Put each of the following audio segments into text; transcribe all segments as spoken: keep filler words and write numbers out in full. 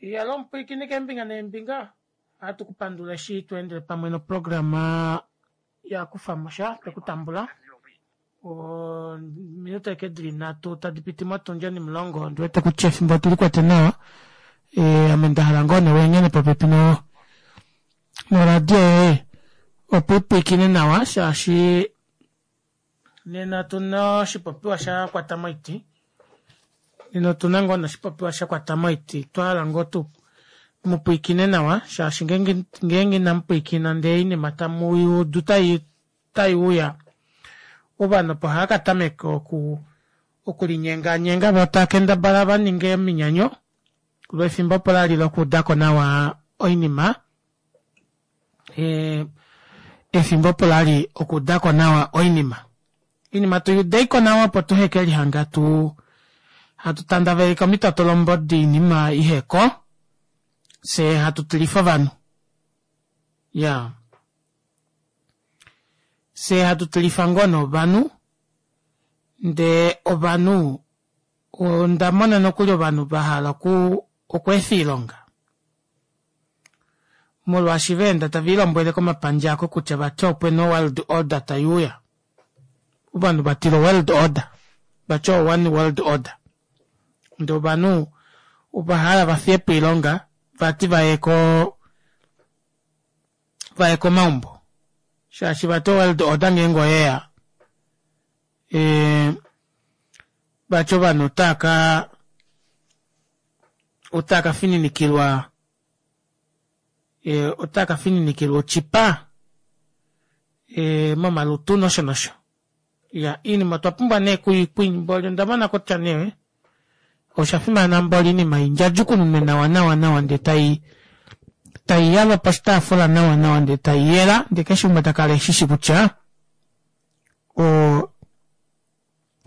Iyalo omupwiikini keembinga neembinga, ohatu kupandula eshi tweendele pamwe noprograma yakufamosha twekutambula ominute ashike dili nhatu tadi piti motundi onimulongo ondiwete kutya efimbo otulikwete nawa ame ndahala ngoo nee weehene popepi noradio yoye opo upwiikine nawa shaashi nena otuna oshipopiwa shakwata moiti nena otuna ngoo nee oshipopiwa shakwata moiti otwahala ngoo tu mupwiikine nawa shaashi ngeenge inamupwiikina ndee oinima tamuyuudu taiuya ovanhu opo haakatameka oku okulinyenganyenga voo taakendabala vaninge ominyanyo loo efimbo opo lali lokuudako nawa oinima efimbo opo lali okuudako nawa oinima oinima tuyuudeiko nawa opo tuhekelihanga tuu hatu tandaveleke omitotolombo doinima iheko fyee hatu tilifa ovanhu iyaa fyee hatu tilifa ngoo nee ovanhu ndee ovanhu ondamona nokuli ovanhu vahala okweefa oilonga molwaashi vaenda taviilombwele komapandja aako kutya vati opena o world order taiuya ovanhu vatila o world order vati o one world order ndee ovanhu ovahala vafiyepo oilonga vati vaye koo vaye komaumbo shaashi vati o world order ngeenge oyeya vati ovanhu otaaka otaaka fininikilwa otaaka fininikilwa otyipa momalutu nosho nosho iyaa oinima otwa pumbwa nee mboli ondamona kutya nee oshafimana mboli oinima indjadjukununwe nawa nawa nawa ndee tai taiyalwa poshitaafula nawa nawa ndee taiyela ndee keshe umwe takala eshishi kutya oo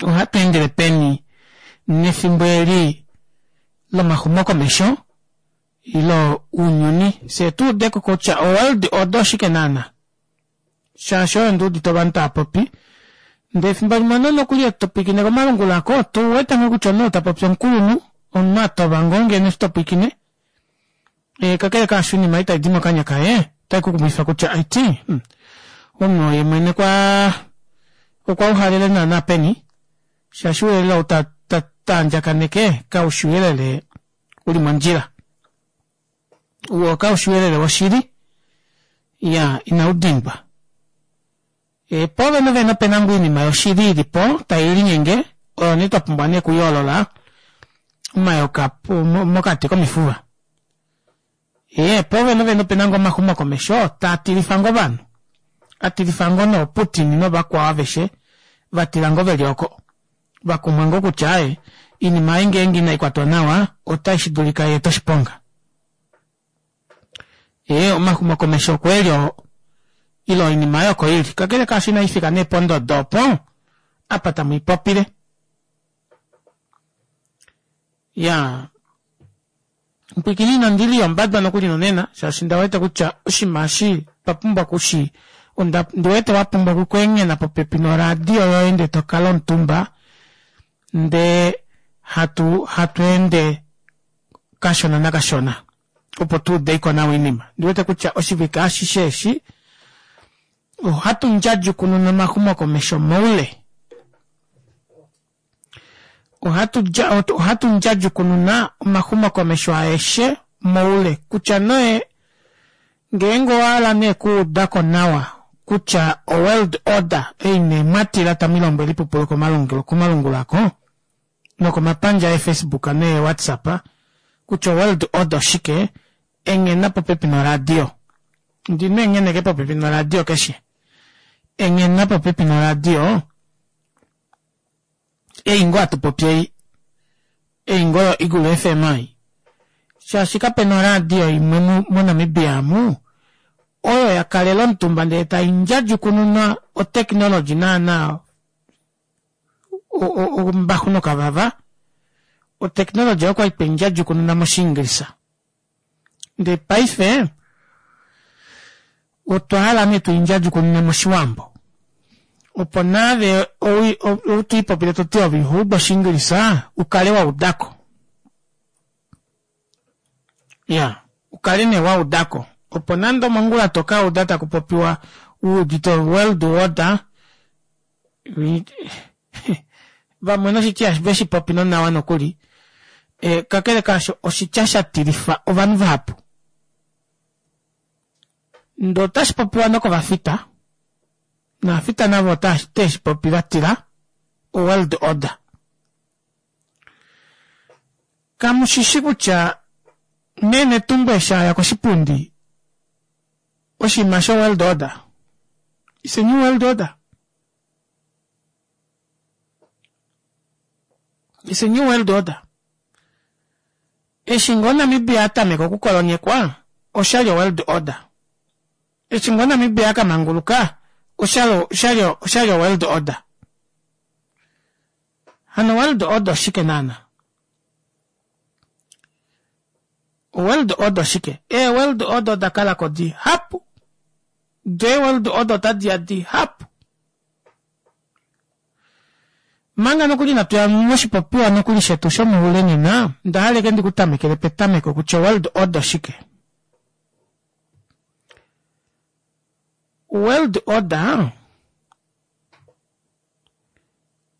ohatweendele peni nefimbo eli lomaxumokomesho ile ounyuni fyee tuudeko kutya o world order oshike naana shaashi oyo nduudite ovanhu taapopi ndee efimbo limwe omunhu nokuli eshi topwiikine komalungula aako ouwete ngoo kutya omunhu ou tapopi omukulunhu omunhu atova ngoo ngeno eshi topwiikine kakele kaasho oinima ei taidi mokanya kaye ota ikukumwifa kutya aiti omunhu ou yeemwene okwaa okwauhalele naana peni shaashi ouyelele ou taandjakaneke kaushi ouyelele uli mondjila woo kaushi ouyelele woshili iyaa inaudindwa poovene vene opena ngoo oinima yoshili ilipo tailinyenge oyo nee twapumbwa nee okuyoolola omayoka mokati komifuva ee poovene vene opena ngoo omaxumokomesho taatilifa ngoo ovanhu atilifa ngoo noo putin novakwao aveshe vatila ngoo veli oko vakumwa ngoo kutya aaye oinima ei ngeenge inaikwatwa nawa ota shidulika yeete oshiponga ee omaxumokomesho okweeli oo ile oinima aayo oko ili kakele kaasho inaifika nee pondodo opo apa tamwiipopile iyaa mupwiikini inandili yombadwa nokuli nonena shaashi ondawete kutya oshinima eshi otwapumbwa okushi ondiwete wapumbwa okweenghena popepi noradio yoye ndee tokala omutumba ndee hatu hatweende kashona nakashona opo tuudeko nawa oinima ondiwete kutya oshivike ashishe eshi ohatu ndjadjukununa omaxumokomesho moule ohatu ndjadjukununa omaxumokomesho aeshe moule kutya nee ngeenge owahala nee okuudako nawa kutya o world order ei nee mwatila tamwiilombwele oipupulu komalungula aako nokomapandja ee facebook nee whatsapp kutya o world order oshike enghena popepi noradio ndina eengheneke popepi noradio keshe enghena popepi noradio ei ngoo hatupopi ei ei ngoo yo Eagle F M ei shaashi kapena oradio imwe mo namibia amu oyo yakalela omutumba ndee taindjadjukununa o technology naana ombaxu nokavava o technology oyo okwali tweindjadjukununa moshiingilisa ndee paife otwa hala nee tuindjadjukunune moshiwambo opo naave ou twiipopile toti ove ihoudu oshiingilisa ukale waudako Ya ukale nee waudako opo nande omongula tokauda takupopiwa wuudite world order vamwe noshitya veshipopi nonawa nokuli kakele kaasho oshitya shatilifa ovanhu vahapu ndee otashipopiwa nokovafita novafita navo otaveshipopi vatila o world order kamushishi kutya mee netumbo eshi aya koshipundi oshiima sho world order it's a new world order it's a new world order eshi ngoo Namibia atameka okukolonyekwa oshali o world order eshi ngoo Namibia akamanguluka oshali oshali oshali o world order hano world order oshike naana world order oshike ee world order odakalako dihapu dee world order otadiya dihapu manga nokuli inatuya moshipopiwa nokuli shetu shomoule nena ondahala ashike ndikutamekele petameko kutya world order oshike world order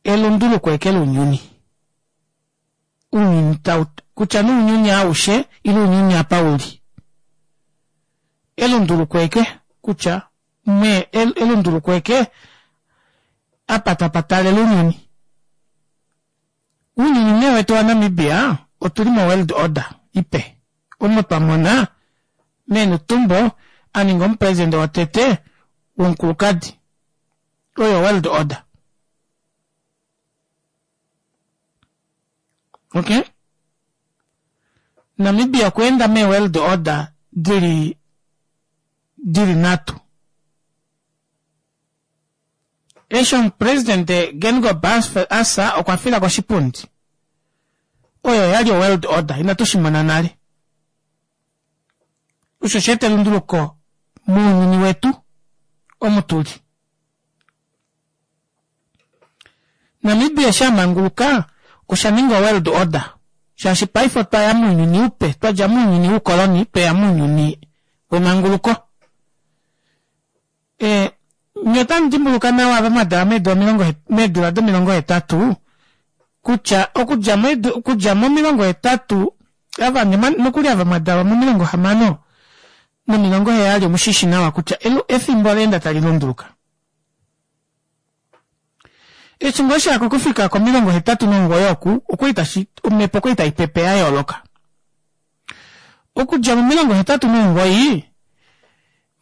elunduluko eke lounyuni ounyuni tau kutya nee ounyuni aushe ile ounyuni apa uli elunduluko eke kutya me elunduluko eke apa tapatalele ounyuni ounyuni nee wetu wa Namibia otuli mo world order ipe omo twamona mee Netumbo aninga omupresident wotete womukulukadi oyo world order okay Namibia okweenda mee world order dili dili nhatu eshi omupresident Geingob asa okwa fila koshipundi oyo oyali o world order inatu shimona nale osho osha eta elunduluko mounyuni wetu omu tuli Namibia eshi amanguluka osha ninga world order shaashi paife otwaya mounyuni upe twadja mounyuni woukoloni tweya mounyuni wemanguluko ee nye otamudimbuluka nawa ava mwadalwa meedula omilongo meedula domilongo hetatu kutya okudja okudja momilongo hetatu ava nokuli ava mwadalwa momilongo hamano nomilongo heyali omushishi nawa kutya efimbo oleenda tali lunduluka eshi ngoo shaka okufika komilongo hetatu nomugoyi oku okwali tashi omhepo okwali taipepe yayooloka okudja momilongo hetatu nomugoyi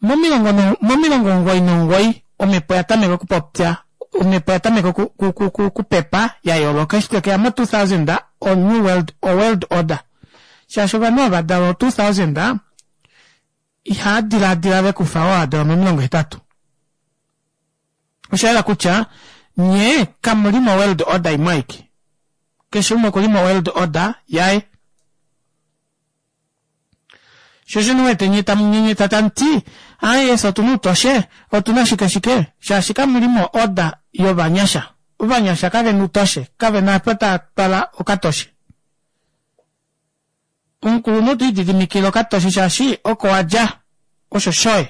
momilongo momilongo omugoyi nomugoyi omhepo oyatameka okupopya omhepo oyatameka okupepa yayooloka eshi twekeya mo two thousand o new world o world order shaashi ovanhu ava vadalwa o two thousand ihaadilaadila vekufa oo adalwa momilongo hetatu oshayela kutya nyee kamuli mo world order imwe aike keshe umwe okuli mo world order yaye sho osho ndiwete nye tamunyenyeta tamuti aaye fye otuna outoshe otuna shike shike shaashi kamuli mo order yovanyasha ovanyasha kavena outoshe kavena apa tava twala okatoshe omukulunhu otwiididimikile okatoshe shaashi oko wadja osho shoye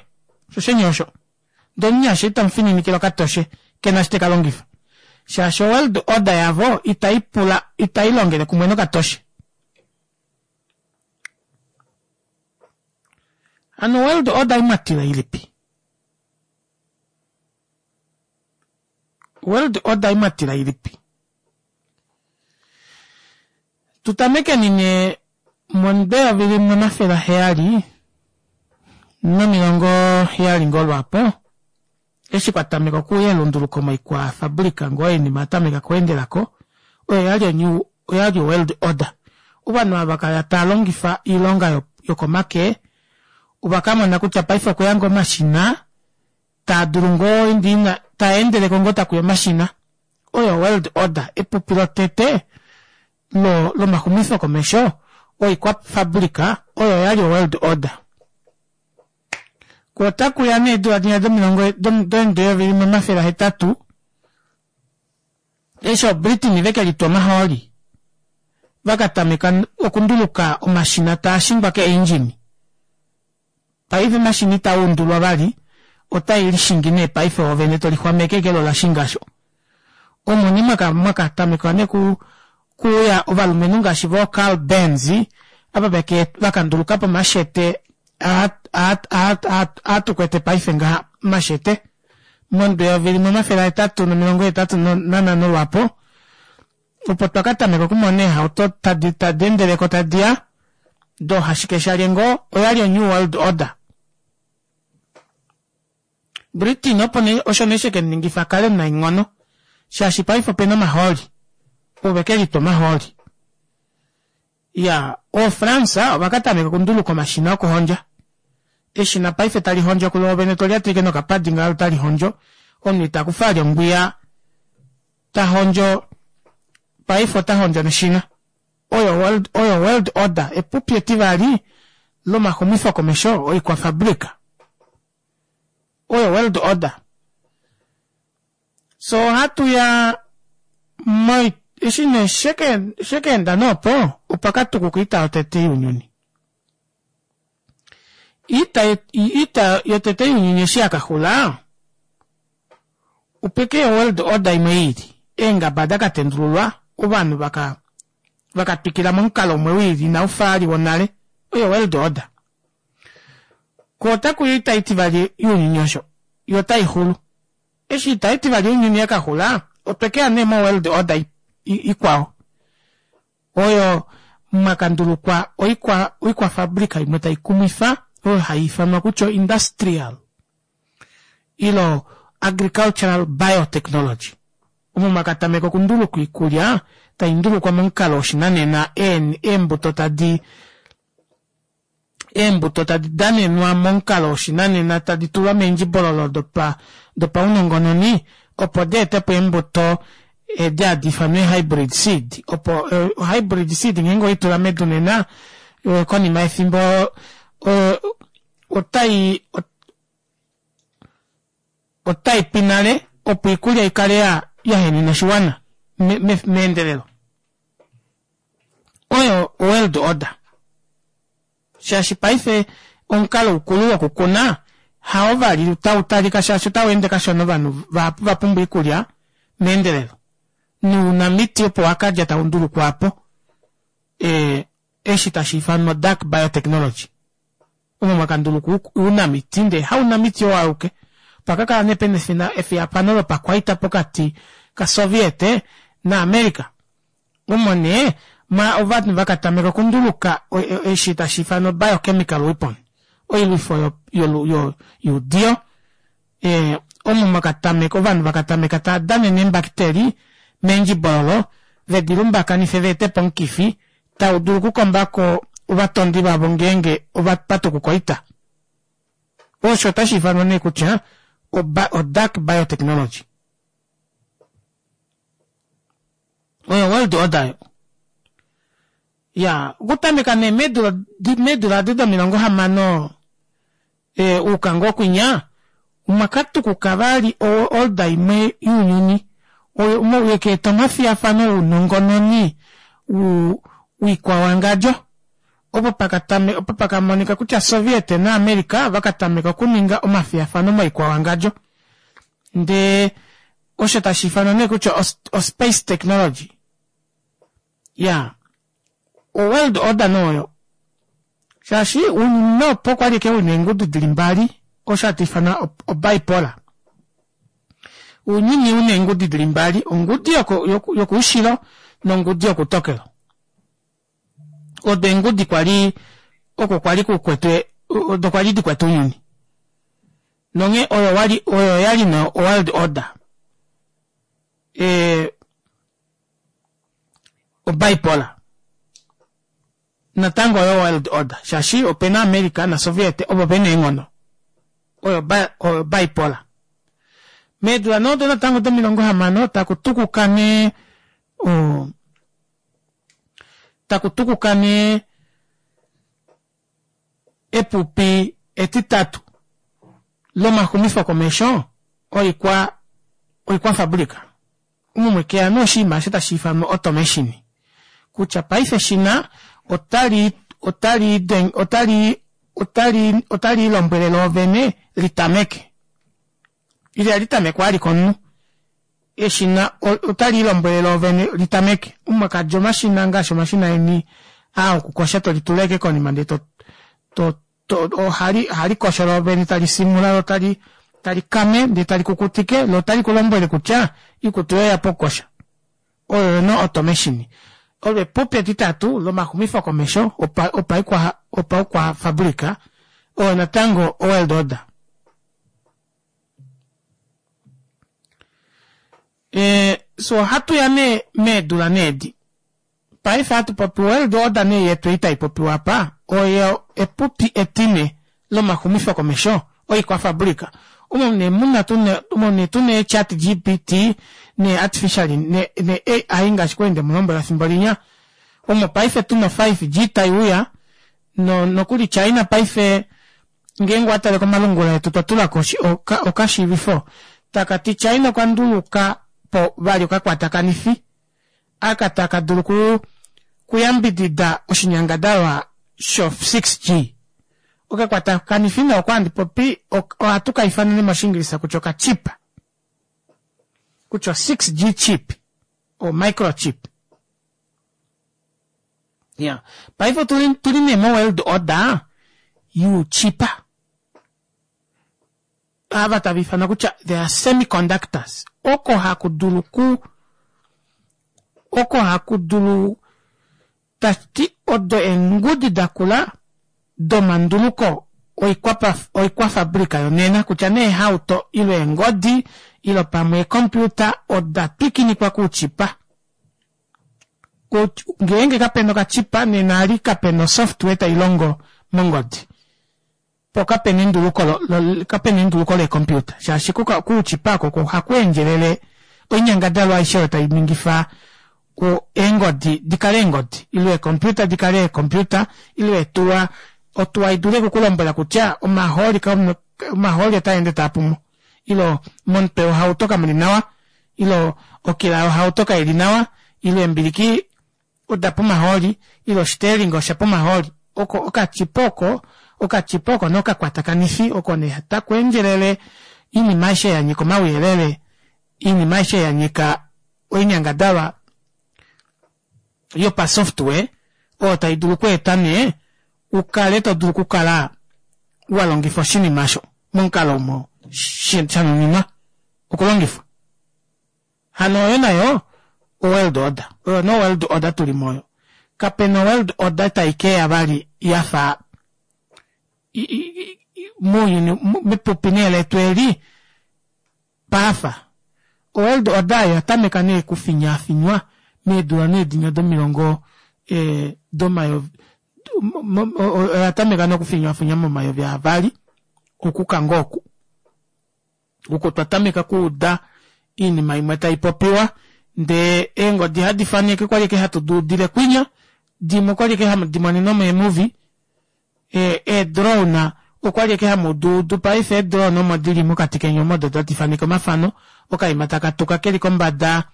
osho sheni osho ndee omunyasha itamufininikile okatoshe kena eshi tekalongifa shaashi world order yavo itaipula itailongele kumwe nokatoshe hano world order imwatila ilipi world order imwatila ilipi tutamekeni nee mondeyovi limwe omafele aheyali nomilongo heyali ngoo lwaapo eshi kwatameka okuuya elunduluko moikwafabrika ngoo oinima yatameka okweendelako oyo oyali o new oyali world order ovanhu ava kala taalongifa oilonga yokomake ovakamona kutya paife okweya ngoo omashina taadulu ngoo taendeleko ngoo takuya omashina oyo world order epupi lotete lo lomaxumifo komesho oikwafabrika oyo oyali o world order koo otakuya nee eedula dinya domilongo deyovi limwe omafele ahetatu eshi o Britain vekelitwa omahooli Vakatameka okunduluka omashina taashingwa keeindjini. Paife omashina itaundulwa vali, otaelishingi nee paife oovene tolixwameke ashike loo olashinga aasho. Omo nee mwakatamekwa nee kuuya ovalumenhu ngaashi voo Carl Benz ava vakandulukapo omashete aa atukwete paife ngaha omashete momudo eyovi limwe omafele ahetatu nomilongo hetatu nanhano lwaapo opo twakatameka okumona eehauto tadeendeleko tadiya doohashikeshalye ngoo oyali o new world order. Britain opo nee osho nee shekemuningifa akale omunaenghono shaashi paife opena omahooli ovekelitwa omahooli. Iyaa oo france ovakatameka okunduluka omashina okuhondja eshina paife talihondjo kuloovene tolyata ashike nokapadi ngaha loo otalihondjo omunhu itakufa vali ongwiya tahondjo paife otahondjo neshina oyo oyo world order epupi etivali lomaxumifo komesho oikwafabrica oyo world order. Fyee ohatuya eshi nee shekeenda nee opo opakatukuka oita yotete younyuni. Oita yotete younyuni eshi yakaxula opekeya o world order imwe iili eengaba dakatendululwa ovanhu vaka vakatwikila momukalo umwe wiili inaufa vali wonale oyo world order. Koo otakuya oita itivali younyuni osho yoo otaixulu eshi oita itivali younyuni yakaxula otwekeya nee mo world order ikwao oyo mwakandulukwa oikwafabrica imwe taikumwifa oyo haiifanwa kutya o industrial ile agricultural biotechnology omo mwakatameka okundulukwa oikulya taindulukwa momukalo woshinanena eembuto tadi eembuto tadi danenwa momukalo woshinanena tadi tulwa meendjibololo dopaunongononi opo deetepo eembuto edi hadi ifanwa ee hybrid seed opo o hybrid seed ngeenge oweitula medu nena konima yefimbo otai otaipi nale opo oikulya ikale yahenena oshiwana meendelelo. Oyo world order shaashi paife omukalo ukulu wokukuna hao vali tautalika shaashi otaweende kashona ovanhu vahapu ovapumbwa oikulya meendelelo nounamiti opo wakadja taundulukwa aapo ee eshi tashiifanwa dark biotechnology omo mwakandulukwa ounamiti ndee haunamiti oo auke opakakala nee pena efiyafano lopakwaita pokati ka soviet na america omo nee ovanhu vakatameka okunduluka eshi tashiifanwa biochemical weapon oilwifo youdiyo omo mwakatameka ovanhu vakatameka taadanene eembakiteli meendjibololo vedilumbakanife veetepo omukifi taudulu okukombako ovatondi vavo ngeenge opatukuka oita. Osho otashiifanwa nee kutya o dark biotechnology. Oyo world order oyo. Iyaa okutameka nee meedula edi domilongo hamano yuuka ngoo kwinya omwakatukuka vali o order imwe younyuni oyo yekaeta omafiyafano ounongononi woikwawangadjo opo pakamonika kutya soviet na america ovakatameka okuninga omafiyafano moikwawangadjo ndee osho tashiifanwa nee kutya o space technology. Iyaa o world order nee oyo shaashi ounyuni nee opo okwali ashike una eengudu dili mbali osho hatu ifana o bipolar. Ounyuni una eengudi dili mbali ongudi yokoushilo nongudi yokoutokelo odo eengudi kwali oko kwali kukwetwe odo kwali dikwete ounyuni nonghee oyo oyali nee o world order ee o bipolar natango oyo world order shaashi opena america na soviet ovo vena eenghono oyo bipolar. Meedula nee odo natango domilongo hamano takutukuka nee oo takutukuka nee epupi etitatu lomaxumifo komesho oikwa oikwafabrica omo mwekeya nee oshinima aasho tashiifanwa automation Kutya paife eshina otali otali otali otali otali lombwele loovene litameke. Ile litamekwa vali komunhu. Eshina otali lombwele loovene litameke. Umwe kadja omashina ngaashi omashina eni aa okukosha tolitula ashike konima ndee to to to ohali ohalikosho loovene tali simula loo tali talikame ndee tali kukutike loo otali kulombwele kutya oikutu yoye oyapwa okukosha. Oyo nee automation. Olo epupi etitatu lomaxumifo komesho opa opaikwa opaukwafabrica oyo natango o world order. Ee fyee ohatuya nee meedula nee edi paife hatupopi world order nee yetu ei taipopiwa aapa oyo epupi etine lomaxumifo komesho oikwafabrica omo nee muna tuna omo nee tuna ee chat G P T nee artificial ne A I ngaashi kwali ndemulombwela efimbo linya omo paife tuna o five G taiuya nokuli China paife ngeenge owatale komalungula etu otwa tulako okashiivifo takati China okwa ndulukapo vali okakwatakanifi aka taka dulu okuyambidida oshinyangadalwa sho six G. Okakwatakanifi nee oko handi popi ohatu kaifanene moshingilisa kutya okachip kutya o six G chip o microchip. Iyaa paife otuli nee mo world order youchipa ava tava ifanwa kutya they are semi conductors oko hakudulu okuu oko hakudulu tashiti odo eengudi dakula domanduluko oikwafabrica yonena kutya nee eehauto ile eengodi ile pamwe eecomputer oda twikinikwa kouchipa. Ngeenge kapena okachipa nena eli kapena o software tailongo mongodi poo kapena enduluko kapena enduluko lee computer shaashi kouchipa aako oko hakweendjelele oinyangadalwa aishe oyo tainingifa eengodi dikale eengodi ile eecomputer dikale eecomputer ile eetuwa otuwa idule okukulombwela kutya omahooli omahooli otaende taapumo ile momutwe wohauto kamuli nawa ile okila yohauto kaili nawa ile eembiliki odapwa omahooli ile oshitelinga oshapwa omahooli oko okachipa oko okachipa oko nee okakwatakanifi oko nee takweendjelele oinima aishe yanyika omauyelele oinima aishe yanyika oinyangadalwa yopa software oyo taidulu okweeta nee ukale todulu okukala walongifa oshinima aasho momukalo omo shanuninwa okulongifwa. Hano oyo nayo o world order oyo nee world order tuli muyo. Kapena world order taikeya vali yafa mounyuni mepupi nee letu eli paafa. O world order oyo oyatameka nee okufinyaafinywa meedula nee dinya domilongo ee domayovi oyatameka nee okufinyaafinywa momayovi aavali okuuka ngoo oku. Oko twatameka okuuda oinima imwe taipopiwa ndee eengodi hadi faneke okwali ashike hatu duudile kwinya dimwe okwali ashike hamu dimonene mee movie ee drone okwali ashike hamuduudu paife ee drone omo dili mokati keni omo odo tadi faneke omafano okaima takatuka keli kombada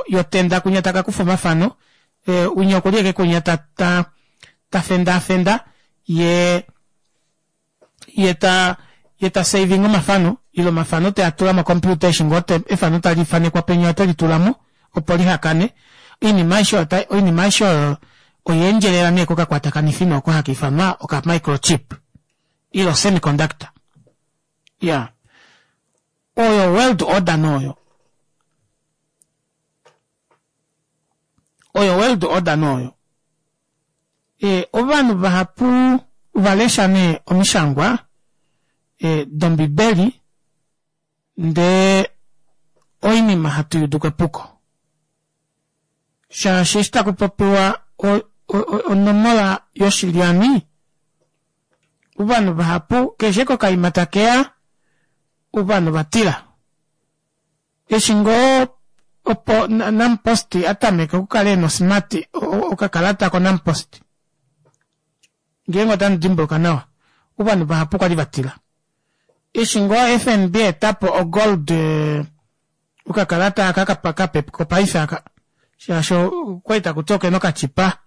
yotenda kwinya takakufa omafano winya okuli ashike kwinya ta ta tafendaafenda yee yeta yeta savinge omafano ile omafano teatula mo computer eshi ngoo efano talifanekwa penya otelitulamo opo lihakane oinima aishe oinima aishe oyo oyaendjelela nee kokakwatakanifi nee oko haka ifanwa oka microchip ile o semiconductor. Iyaa oyo world order nee oyo oyo world order nee oyo. Ee ovanhu vahapu ovalesha nee omishangwa dombibeli ndee oinima hatuyiuduko epuko shaashi eshi takupopiwa onomola yoshilyani ovanhu vahapu keshe ashike okaima takeya ovanhu ovatila eshi ngoo opo nampost atameke okukala ena osmart okakalata ko nampost ngeenge otamudimbuluka nawa ovanhu vahapu okwali vatila eshi ngoo F N B aetapo o gold okakalata aka kape kopaife aka Shaashi okwali takuti okena okachipa,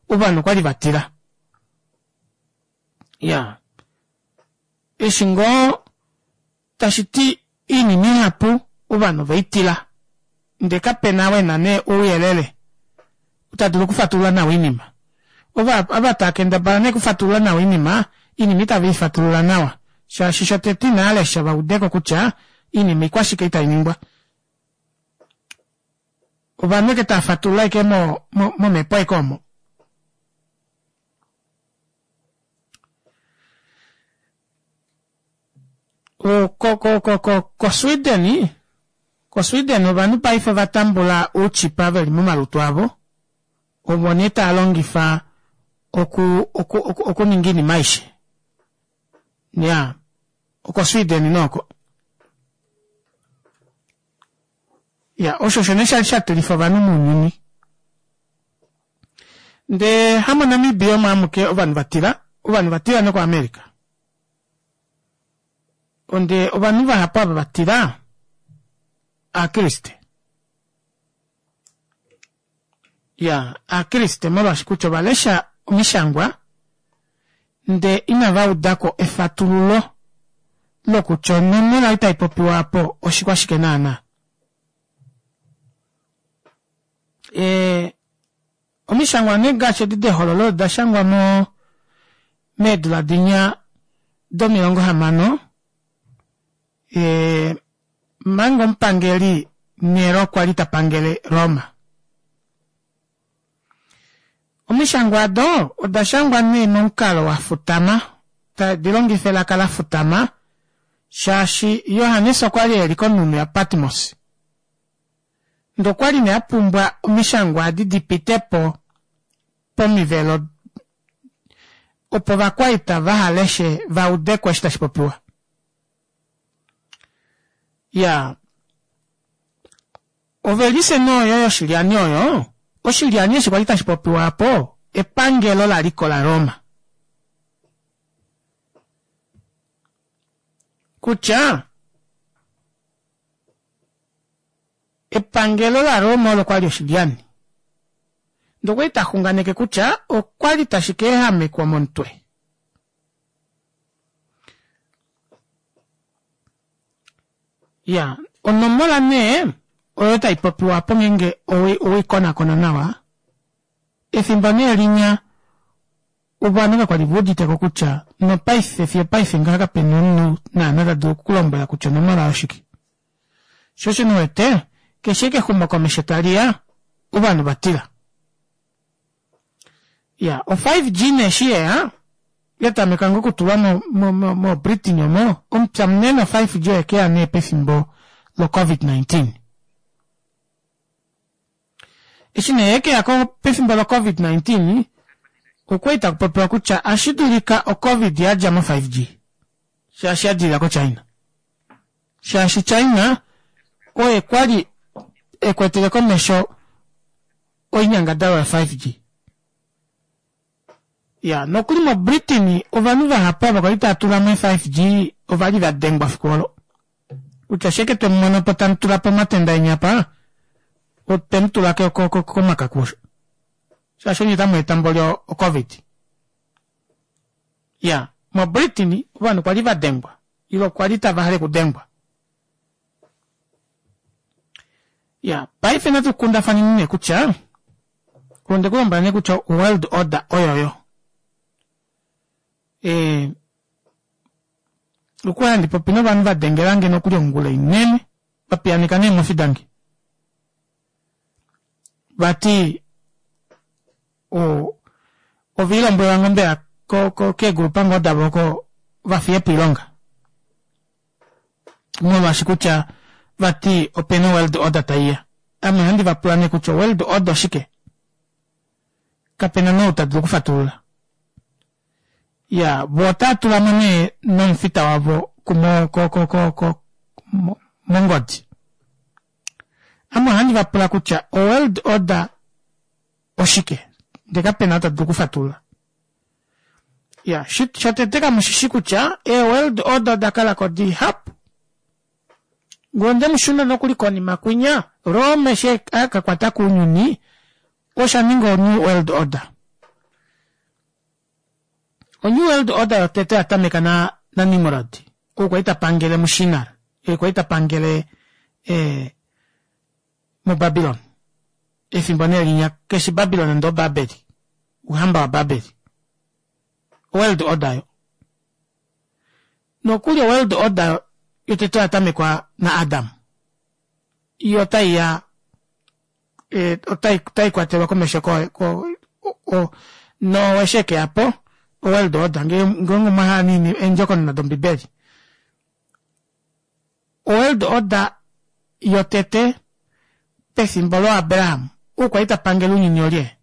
ovanhu okwali vatila. Iyaa, eshi ngoo tashiti oinima ihapu ovanhu oveitila ndee kapena ou ena nee ouyelele tadulu okufatulula nawa oinima. Ava taakendabala nee okufatulula nawa oinima, oinima ita veifatulula nawa shaashi shotete inaalesha vaudeko kutya oinima oikwashike ei tainingwa. Ovanhu ashike taafatulula ashike mo momepo ashike omo. Ko ko ko ko Sweden, ko Sweden ovanhu paife ovatambula ouchipa veli momalutu avo ovo nee taalongifa oku oku okuninga oinima aishe. Iyaa oko Sweden nee oko. Iyaa osho osho nee shali shatilifa ovanhu mounyuni. Ndee hamo Namibia omo amuke ovanhu vatila, ovanhu ovatila noko America. Ndee ovanhu vahapu ava vatila ovakriste. Iyaa ovakriste molwaashi kutya ovalesha omishangwa ndee inavaudako efatululo lokutya onomola ei taipopiwa aapo oshikwashike naana. Ee omishangwa nee ngaashi edi dehololo odashangwa moo meedula dinya domilongo hamano ee omanga omupangeli Nero kwali tapangele Roma. Omishangwa aado odashangwa nee momukalo wafutama tadi longifa elaka lafutama shaashi Johannes okwali eli konhunhu ya Patmos ndee okwali nee apumbwa omishangwa adi dipitepo pomivelo opo ovakwaita vahaleshe vaudeko eshi tashipopiwa. Iyaa ovelise nee oyo yoshilyani oyo, oshilyani eshi kwali tashipopiwa aapo epangelo laliko la Roma. Kutya epangelo la Roma olo kwali oshilyani ndee okwali taxunganeke kutya okwali tashi kaehamekwa momutwe. Iyaa onomola nee oyo taipopiwa aapo ngeenge oweikonakona nawa, efimbo nee linya ovanhu kakwali veuditeko kutya nopaife fiyo opaife ngaha kapena omunhu naana tadulu okukulombwela kutya onomola oyo oshike. Shoo osho nee uwete keshe ashike exumokomesho taliya ovanhu ovatila. Iyaa o five G nee eshi yeya yatameka ngoo okutulwa mo mo mo Britain omo omupya munene o five G oyekeya nee pefimbo lo covid nineteen. Eshi nee yekeya pefimbo lo covid nineteen okwali takupopiwa kutya ohashidulika o covid yadja mo five G shaashi yadilila ko China. Shaashi China oye kwali ekwetele komesho oinyangadalwa yo five G. Iyaa nokuli mo Britain ovanhu vahapu ava kwali taatulamo ee five G ovali vadengwa efiku olo. Kutya ashike twemumonopo tamutulapo omatenda eni apa otwemutula komakaku osho. Shaashi onye otamweeta mboli o covid. Iyaa mo Britain ovanhu kwali vadengwa ile kwali tavahale okudengwa. Iyaa paife natu kundafaneni nee kutya ondekulombwela nee kutya world order oyoyo. Ee okwali handi popi novanhu vadengelange nokuli ongula inene vapiyaaneka neemofi dange. Vati o oviilombwelwa ngoo mbela keegrupa ngoo davo oko vafiyepo oilonga molwaashi kutya vati opena world order taiya. Ame ohandi vapula nee kutya world order oshike? Kapena nee ou tadulu okufatulula. Iyaa voo otaatulamo nee nomufita wavo ko ko ko mongodi. Ame ohandi vapula kutya o world order oshike? Ndee kapena ou tadulu okufatulula. Iyaa shotete kamushishi kutya ee world order odakalako dihapu. Ngee onde mushuna nokuli konima kwinya, Rome eshi akakwata kounyuni osha ninga o new world order. O new world order yotete oyatameka na naNimrod ou kwali tapangele muShinar ee kwali tapangele ee muBabylon efimbo nee linya keshi Babylon ndee oBabeli ouhamba waBabeli. World order oyo. Nokuli o world order yotete oyatamekwa na Adam iyo otaiya otaikwatelwa komesho ko ko Noa eshi ekeyapo o world order ngeenge omwahala nee eendjokonona dombibeli. O world order yotete pefimbo loo Abraham ou kwali tapangele ounyuni olye?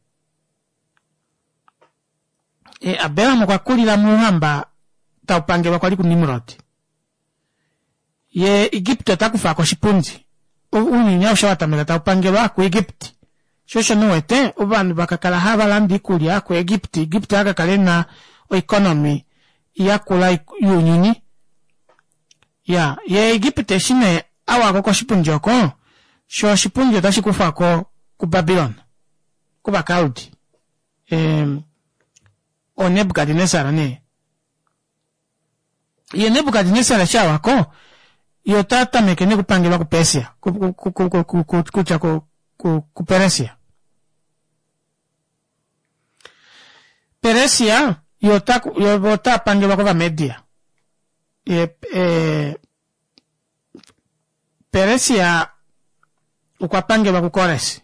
Abraham okwa kulila mouhamba taupangelwa kwali ku Nimrod yee Egypt otakufako oshipundi ounyuni aushe owatameka taupangelwa ku Egypt shoo osho nee uwete ovanhu vakakala havalande oikulya ku Egypt, Egypt akakala ena o economy yakula younyuni. Iyaa yee Egypt eshi nee awako koshipundi oko shoo oshipundi ota shikufwako ku Babylon kova Kaldi ee oo Nebukadnesar nee. Yee Nebukadnesar eshi awako yee otatameke nee okupangelwa ku Persia kutya ku Peresia. Peresia yee ota pangelwa kova Media Peresia okwa pangelwa ku Kores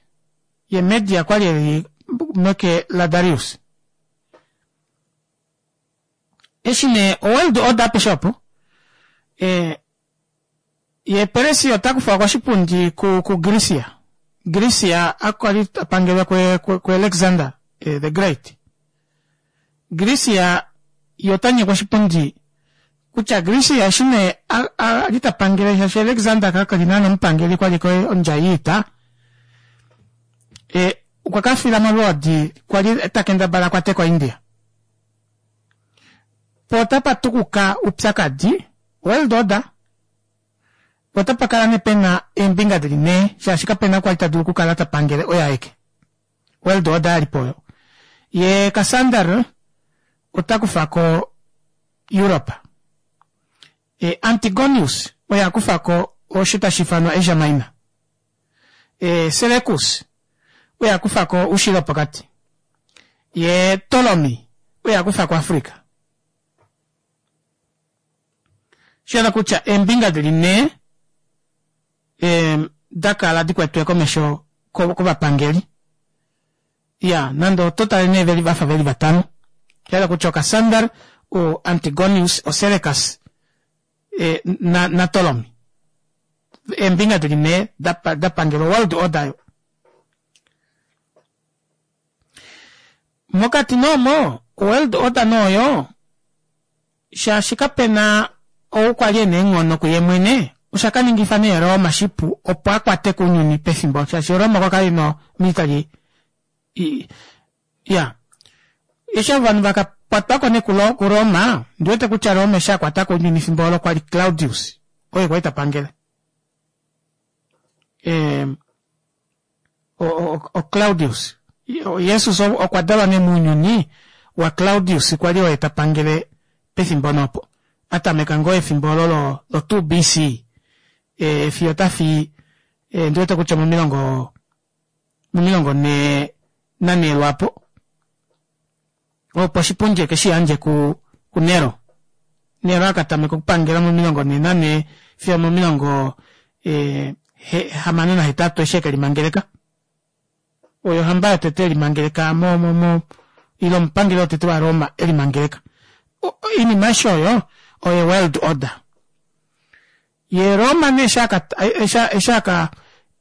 yee Media okwali eli meke la Darius. Eshi nee o world order apeshe opo yee Peresia otakufwa koshipundi ku Grecia, Grecia okwali tapangelwa ku Alexander the great. Grecia yee otanyekwa oshipundi kutya Grecia eshi nee ali tapangele shaashi Alexander kakali naana omupangeli okwali ashike ondjai yoita okwa kafila molwoodi kwali takendabala akwateko India. Poo otapa tukuka oupyakadi world order poo otapakala nee pena eembinga dili nhee shaashi kapena ou kwali tadulu okukala tapangele oye aeke. World order yalipo oyo. Yee Cassander ota kufako Europe. Antigonius oye akufako osho tashiifanwa Asia Minor. Seleucus oye akufako oushilo wopokati. Yee Ptolemy oye akufako Africa. Oshahala kutya eembinga dili nhee dakala dikwetwe komesho kovapangeli. Iyaa nande oto tale nee vafa veli vatano oshahala kutya o Cassander, o Antigonius, o Seleucus na Ptolemy eembinga dili nhee dapangela o world order aayo. Mokati nee omo o world order nee oyo shaashi kapena ou kwali ena eenghono kuye mwene oshakaningifa nee Roma shipu opo akwate kounyuni pefimbo shaashi Roma okwa kala ena o military iyaa eshi ovanhu vakakwatwako nee ku Roma ondiwete kutya Roma eshi akwatako ounyuni efimbo olo okwali Claudius oye kwali tapangele o Claudius Jesus okwa dalwa nee mounyuni wa Claudius kwali oye tapangele pefimbo nee opo atameka ngoo efimbo olo lo two B C fiyo otafi ondiwete kutya omomilongo omilongo nhee nanhee lwaapo opo oshipundi ekeshiyandje ku kuNero. Nero akatameka okupangela momilongo nhee nanhee fiyo omomilongo hamano nahetatu eshi ekelimangeleka. Oyo ohamba yotete yelimangeleka mo mo mo ile omupangeli wotete wa Roma elimangeleka. Oinima aishe oyo oyo world order. Yee Roma nee eshi aka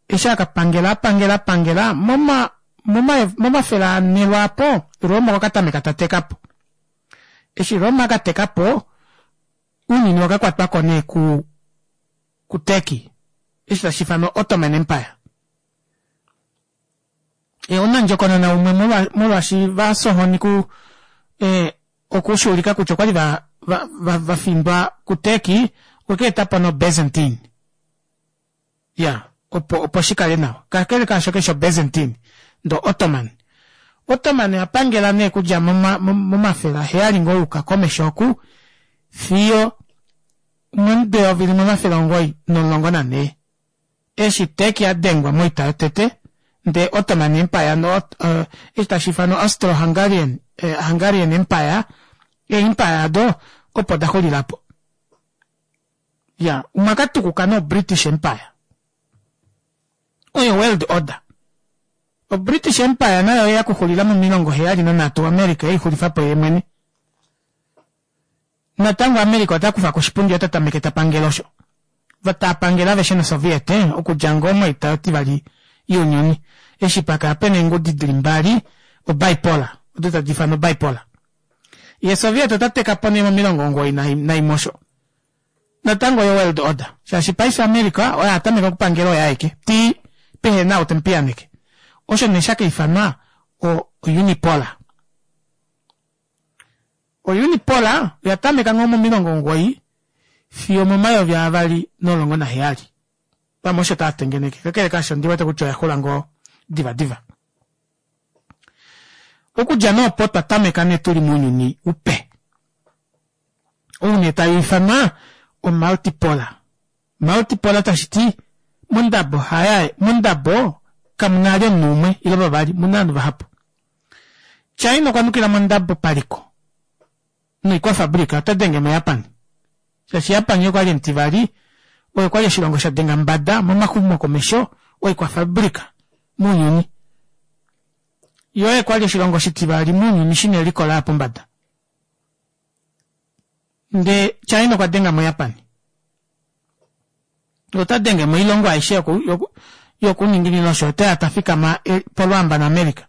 eshi akapangela apangela apangela moma momafele anhe lwaapo Roma okwa katameka tatekapo. Eshi Roma akatekapo ounyuni owakakwatwako nee ku ku Turkey eshi tashiifanwa Ottoman Empire. Omunandjokonona umwe molwaashi vafya ohoni ku okushuulika kutya okwali va va vafindwa ku Turkey okwa ka etapo no Byzantine. Ya, opo opo shikale nawa. Kakele kaasho kesho Byzantine, ndo Ottoman. Ottoman oya pangela nee okudja momafele aheyali ngoo yuka komesho oku fiyo momudo eyovi limwe omafele omugoyi nomulongo nanhee. Eshi Turkey adengwa moita yotete ndee Ottoman Empire no uh, eshi tashi ifanwa Austro-Hungarian eh, Hungarian Empire, ee-empire ado opo daxulilapo. Ya, omwa katukuka no British Empire. Oyo World Order. O British Empire nayo oya kuxulila momilongo heyali nanhatu America eixulifapo yeemwene. Natango America ota kufa koshipundi ota tameke tapangele osho. Vatapangele aveshe noSoviet okudja ngoo moita yotivali younyuni. Eshi pakala pena eengudi dili mbali o bipolar, odo tadi ifanwa bipolar. Ye Soviet ota teka po nee momilongo omugoyi naimwe osho. Natango oyo World Order. Shaashi paife America oye atameka okupangela oye aeke. Ti pehena ou temupiyaneke. Osho nee shakaifanwa o unipolar. O unipolar oya tameka ngoo momilongo omugoyi fiyo omomayovi avali nomulongo naheyali. Pamwe osho taatengeneke. Kakele kaasho ondiwete kutya oyaxula ngoo diva diva. Okudja nee opo otwa tameka nee tuli mounyuni upe. Ou nee tau ifanwa o multipolar. Multipolar tashiti mondabo haya mondabo kamuna vali omunhu umwe ile vavali omuna ovanhu vahapu. China okwa nukila mondabo paliko noikwafabrika ota denge mo Japan. Shaashi Japan okwali omutivali oye kwali oshilongo shadenga mbada momaxumokomesho oikwafabrika mounyuni. Yoo oye kwali oshilongo oshitivali mounyuni shina eliko laya pombada. Ndee China okwa denga mo Japan. Ota denge moilongo aishe yoku, yoku, yokuninginino osho oteya tafikama polwaamba naAmerica.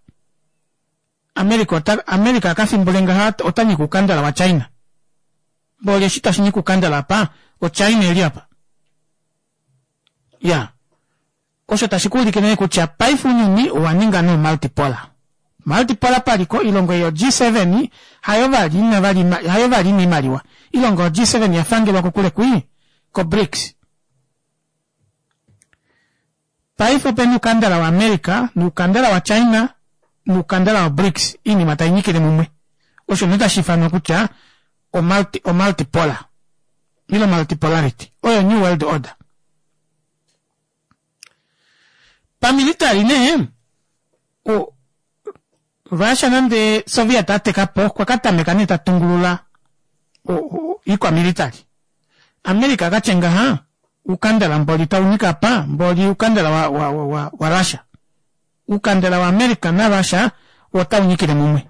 America ota America akafimbule ngaha ota nyika oukandala wa China. Mboli eshi tashi nyika oukandala apa, o China eli apa. Ya. Osho tashi kuulike nee kutya paife ounyuni owa ninga nee multipolar. Multipolar paliko ilongo yo G seven hayo vali ina vali hayo vali ina oimaliwa. Ilongo yo G seven yafangelwa kokule kwii ko BRICS. Paife opena oukandala wa America noukandala wa China noukandala wa BRICS oinima tainyikile mumwe. Osho nee tashi ifanwa kutya o multi, o multipolar. Ile multipolarity. Oyo New World Order. Pamilitary nee, o Russia nande Soviet atekapo okwa katameka nee tatungulula iikwamilitary. America akatya ngaha oukandala mboli taunyika apa mboli oukandala wa, wa, wa, wa Russia. Oukandala wa America na Russia otaunyikile mumwe.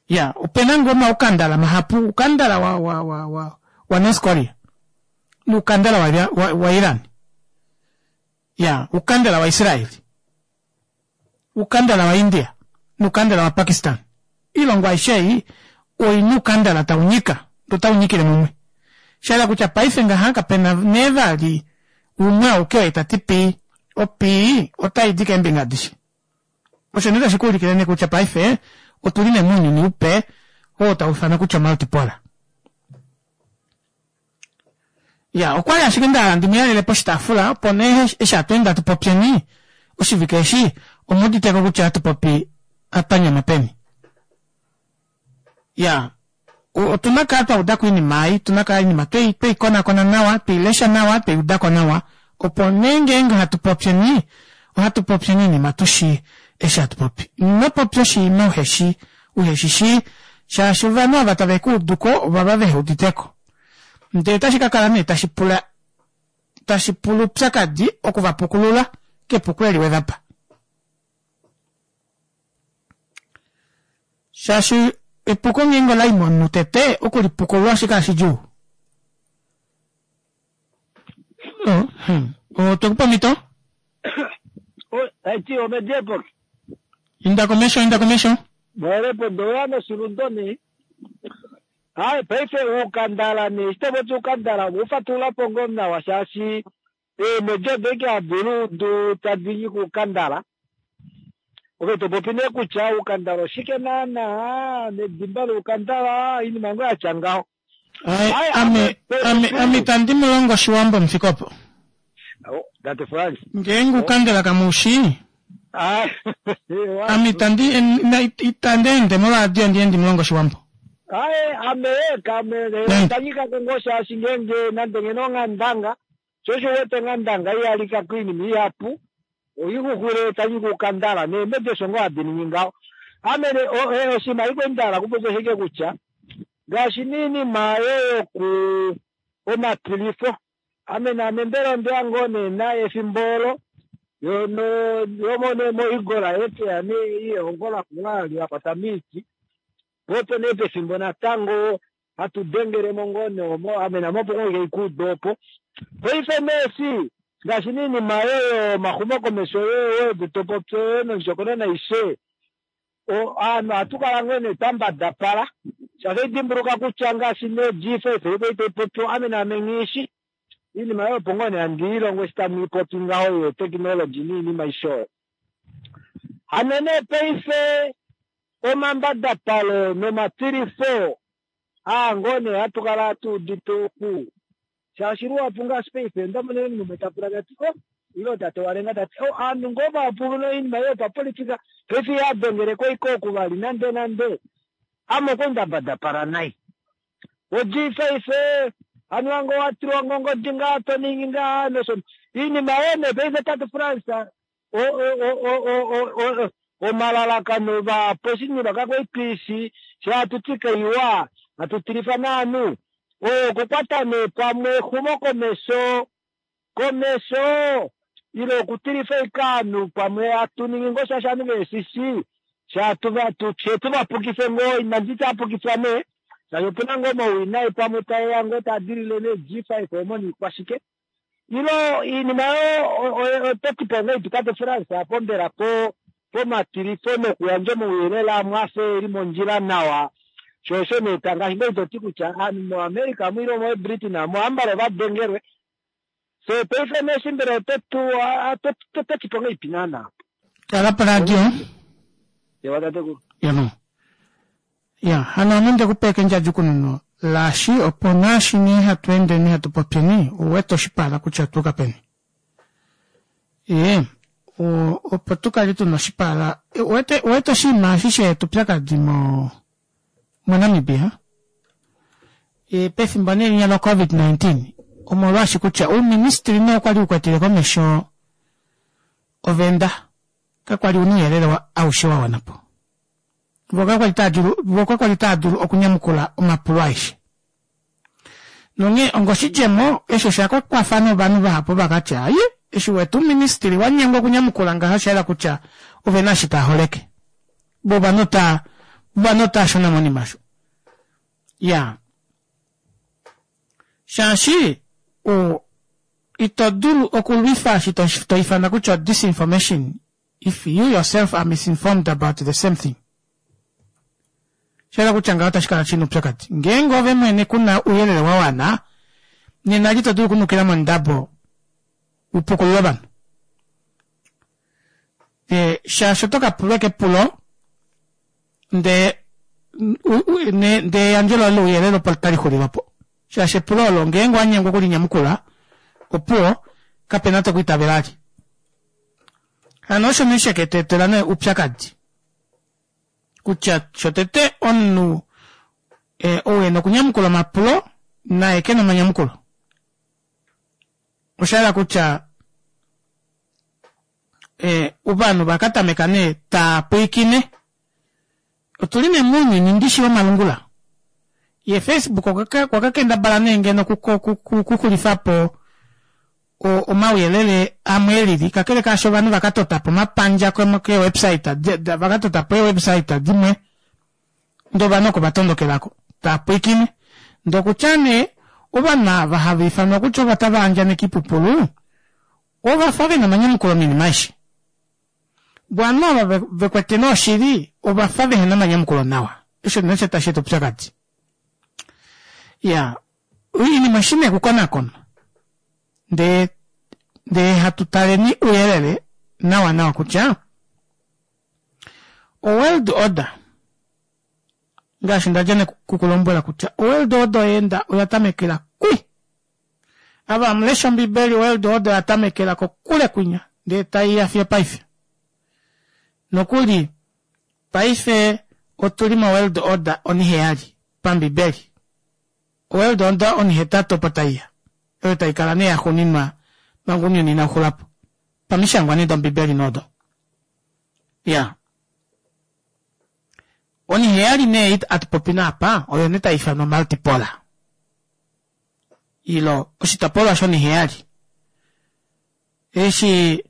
Ya, opena ngoo omaukandala mahapu, oukandala wa, wa, wa, wa, wa North Korea noukandala wa, wa, wa Iran. Ya, oukandala wa Israel. Oukandala wa India noukandala wa Pakistan. Oilongo aishe ei oina oukandala taunyika, otaunyikile mumwe. Shahala kutya paife ngaha kapena nee vali umwe auke oye tati pii, opii otaidi keembinga adishe. Osho nee tashi kuulikile nee kutya paife otuli nee mounyuni upe oo tau ifanwa kutya multipolar. Ya, okwali ashike ndahala ndimuyalele poshitaafula opo nee eshi hatweende hatu popyeni oshivike eshi omuuditeko kutya ohatu popi twanyama peni. Ya, otuna kala twaudako oinima ei, otuna kala oinima twei tweikonakona nawa, tweilesha nawa, tweiudako nawa opo nee ngeenge hatu popyeni ohatu popyeni oinima tushi eshi hatu popi. Ino popya oshinima uheshi uheshishii shaashi ovanhu ava tave kuuduko ovava veheuditeko. Ndee otashi kakala nee tashi pula tashi pula oupyakadi okuvapukulula kepuko eli wevapa. Shaashi epuko ngeenge olai momunhu tete okulipukulula ohashi kala shidjuu. Oh, hmm. Otwekupa omhito? Taiti omediepo. Inda komesho, inda komesho. Mwelepo ndoya noshilundo nee. Hai, paife ukandala nee, shito ukandala, ufatula pongo nawa shaashi eemwedi odo ike hadi tadi nyika ukandala. Ove topopi nee kutya ukandala oshike naana, nedimba loukandala, oinima ngoo yatya ngaho. Ai, ame, ame, ame itandi mulongo oshiwambo mufike opo. Tate Frans. Ngeenge ukandela kamushi. Ah, Ame itandi itandi ende moradio ndi endi mulongo Oshiwambo. Aye, ame kame tanyika kongo shaashi ngeenge nande ngeno onghandanga, sho osho wete onghandanga ihalika koinima ihapu, oixuxwile tanyika ukandala neemedi osho ngoo hadi ningi ngaho. Ame oshinima iko ndahala okupopya oshike kutya ngaashi niinima yoku omatilifo, ame naame mbela ondeya ngoo nee naye efimbo olo yomo nee moigola yekeya nee yehongo lakula la kwata miiti, po opo nee pefimbo natango hatu dengelemo ngoo nee omo ame name opo ngoo haikuuda opo. Paife nee ngaashi niinima yoyo omaxumokomesho yoyo topopyo yoyo nondjokonona aishe, aanhu ohatu kala ngoo nee twambadapala shaashi dimbuluka kutya ngaashi nee G five iko taipopiwa ame naame nghishi iinima oyo opo ngoo nee handi ilongo eshi tamu ipopi ngaho yeteknology niinima aishe oyo. Hano nee paife omambadapalo nomatilifo aa ngoo nee hatu kala hatu udite oku shaashi luhapu ngaashi paife ndamona omunhu umwe tapula tati o ilo tate walenga tati o aanhu ngoo vahapu noinima yopapolitika paife ihadengele iko oku vali nande nande ame okwe ndambadapala nai. O G five anuwa ngoo watilwa ngongodi ngaa toningi ngaa nosho iinima oyo nee paife tate Frans omalalakano vahapu oshinima kakwaitwiishi shatuti kaiwa hatutilifa naanhu okukwata nee pamwe exumokomesho komesho ile okutilifa ike aanhu pamwe hatuningi ngoo shaashi aanhu veeshishi shetuvapukife ngoo inandi apukifwa nee shaashi opuna ngoo omawinayi pamwe taeya ngoo taadilile nee G five omo niikwashike ilo iinima oyo ototipo ngaipi tate Frans apo mbela po pomatilifo nokuyandja omauyelele amwe afe eli mondjila nawa sho osho nee ngaashi ngoo itoti kutya aanhu moAmerica mu ile moBritain amo ambala ovadengelwe so paife nee mbela ototu ototipo ngaipi naana. Kala poradio. Ewa tatekulu. Yamo. Ya, hano ame ndekupa ekendjadjukununo laashi opo naashi nee hatu endeni hatu popyeni ouwete oshipala kutya tuuka peni. Ee, opo tukale tuna oshipala uwete uwete oshinima eshi sheetupyakadi mo moNamibia e, pefimbo nee linya lo covid nineteen omolwaashi kutya ouministry nee okwali ukwetele komesho ovenda kakwali una ouyelele aushe wa wanapo. Vo kakwali taa dulu okunyamukula omapulo aeshe. Nonghee ongoshidjemo eshi osha kakwafa novanhu vahapu vakatya aye eshi wetu ministry wanyengwa okunyamukula ngaha osha yela kutya ovena eshi taaholeke. Vo ovanhu taa ovanhu otaa shuna monima osho. Ya. Shaashi o ito dulu okulwifa eshi to ifana kutya disinformation if you yourself are misinformed about the same thing. Shayela kutya ngaho otashi kala shina oupyakadi. Ngeenge ove mwene kuna ouyelele wa wana, nena ito dulu okunukila mondabo upukulule ovanhu. E, shaashi oto ka pulwa kepulo ndee ndee eyandjo loye louyelele opo tali xulile opo. Shaashi epulo olo ngeenge wanyengwa okulinyamukula opuwo kapena tokwiitavela ali. Hano osho nee sheketu etela nee oupyakadi. Kutya shotete omunhu ou ena okunyamukula omapulo naye kena omanyamukulo. Oshayela kutya ovanhu vakatameka nee taapwiikine. Otuli nee mounyuni ndishi womalungula. Ye Facebook okwa kakendabala nee ngeno okuxulifapo omauyelele amwe elili kakele kaasho ovanhu vakatotapo omapandja keewebsite vakatotapo eewebsite dimwe ndee ovanhu oko vatondokelako taapwiikine ndee okutya nee ovanhu ava hava ifanwa kutya ovo tava andjaneke oipupulu ovafa vena omanyamukulo moinima aishe. Vo ovanhu ava vekwete nee oshili ovafa vehena omanyamukulo nawa. Osho nee tashi eta oupyakadi. Iyaa oinima oshi nee okukonakonwa ndee ndee hatu taleni ouyelele nawa nawa kutya o world order ngaashi ndadja nekukulombwela kutya o world order oyeenda oya tamekela kwi Ava amulesha Ombibeli World Order oya tamekela kokule kwinya ndee taiya fiyo paife. Nokuli paife otuli mo World Order oniheyali pambibeli. World Order onihetatu opo taiya. Oyo taikala nee yaxuuninwa manga ounyuni inauxulapo. Pamishangwa nee dombibeli nodo. Ya. Oniheyali nee atupopi naapa oyo nee taifanwa multipolar. Ilo oshitopolwa shoniheyali. Eshi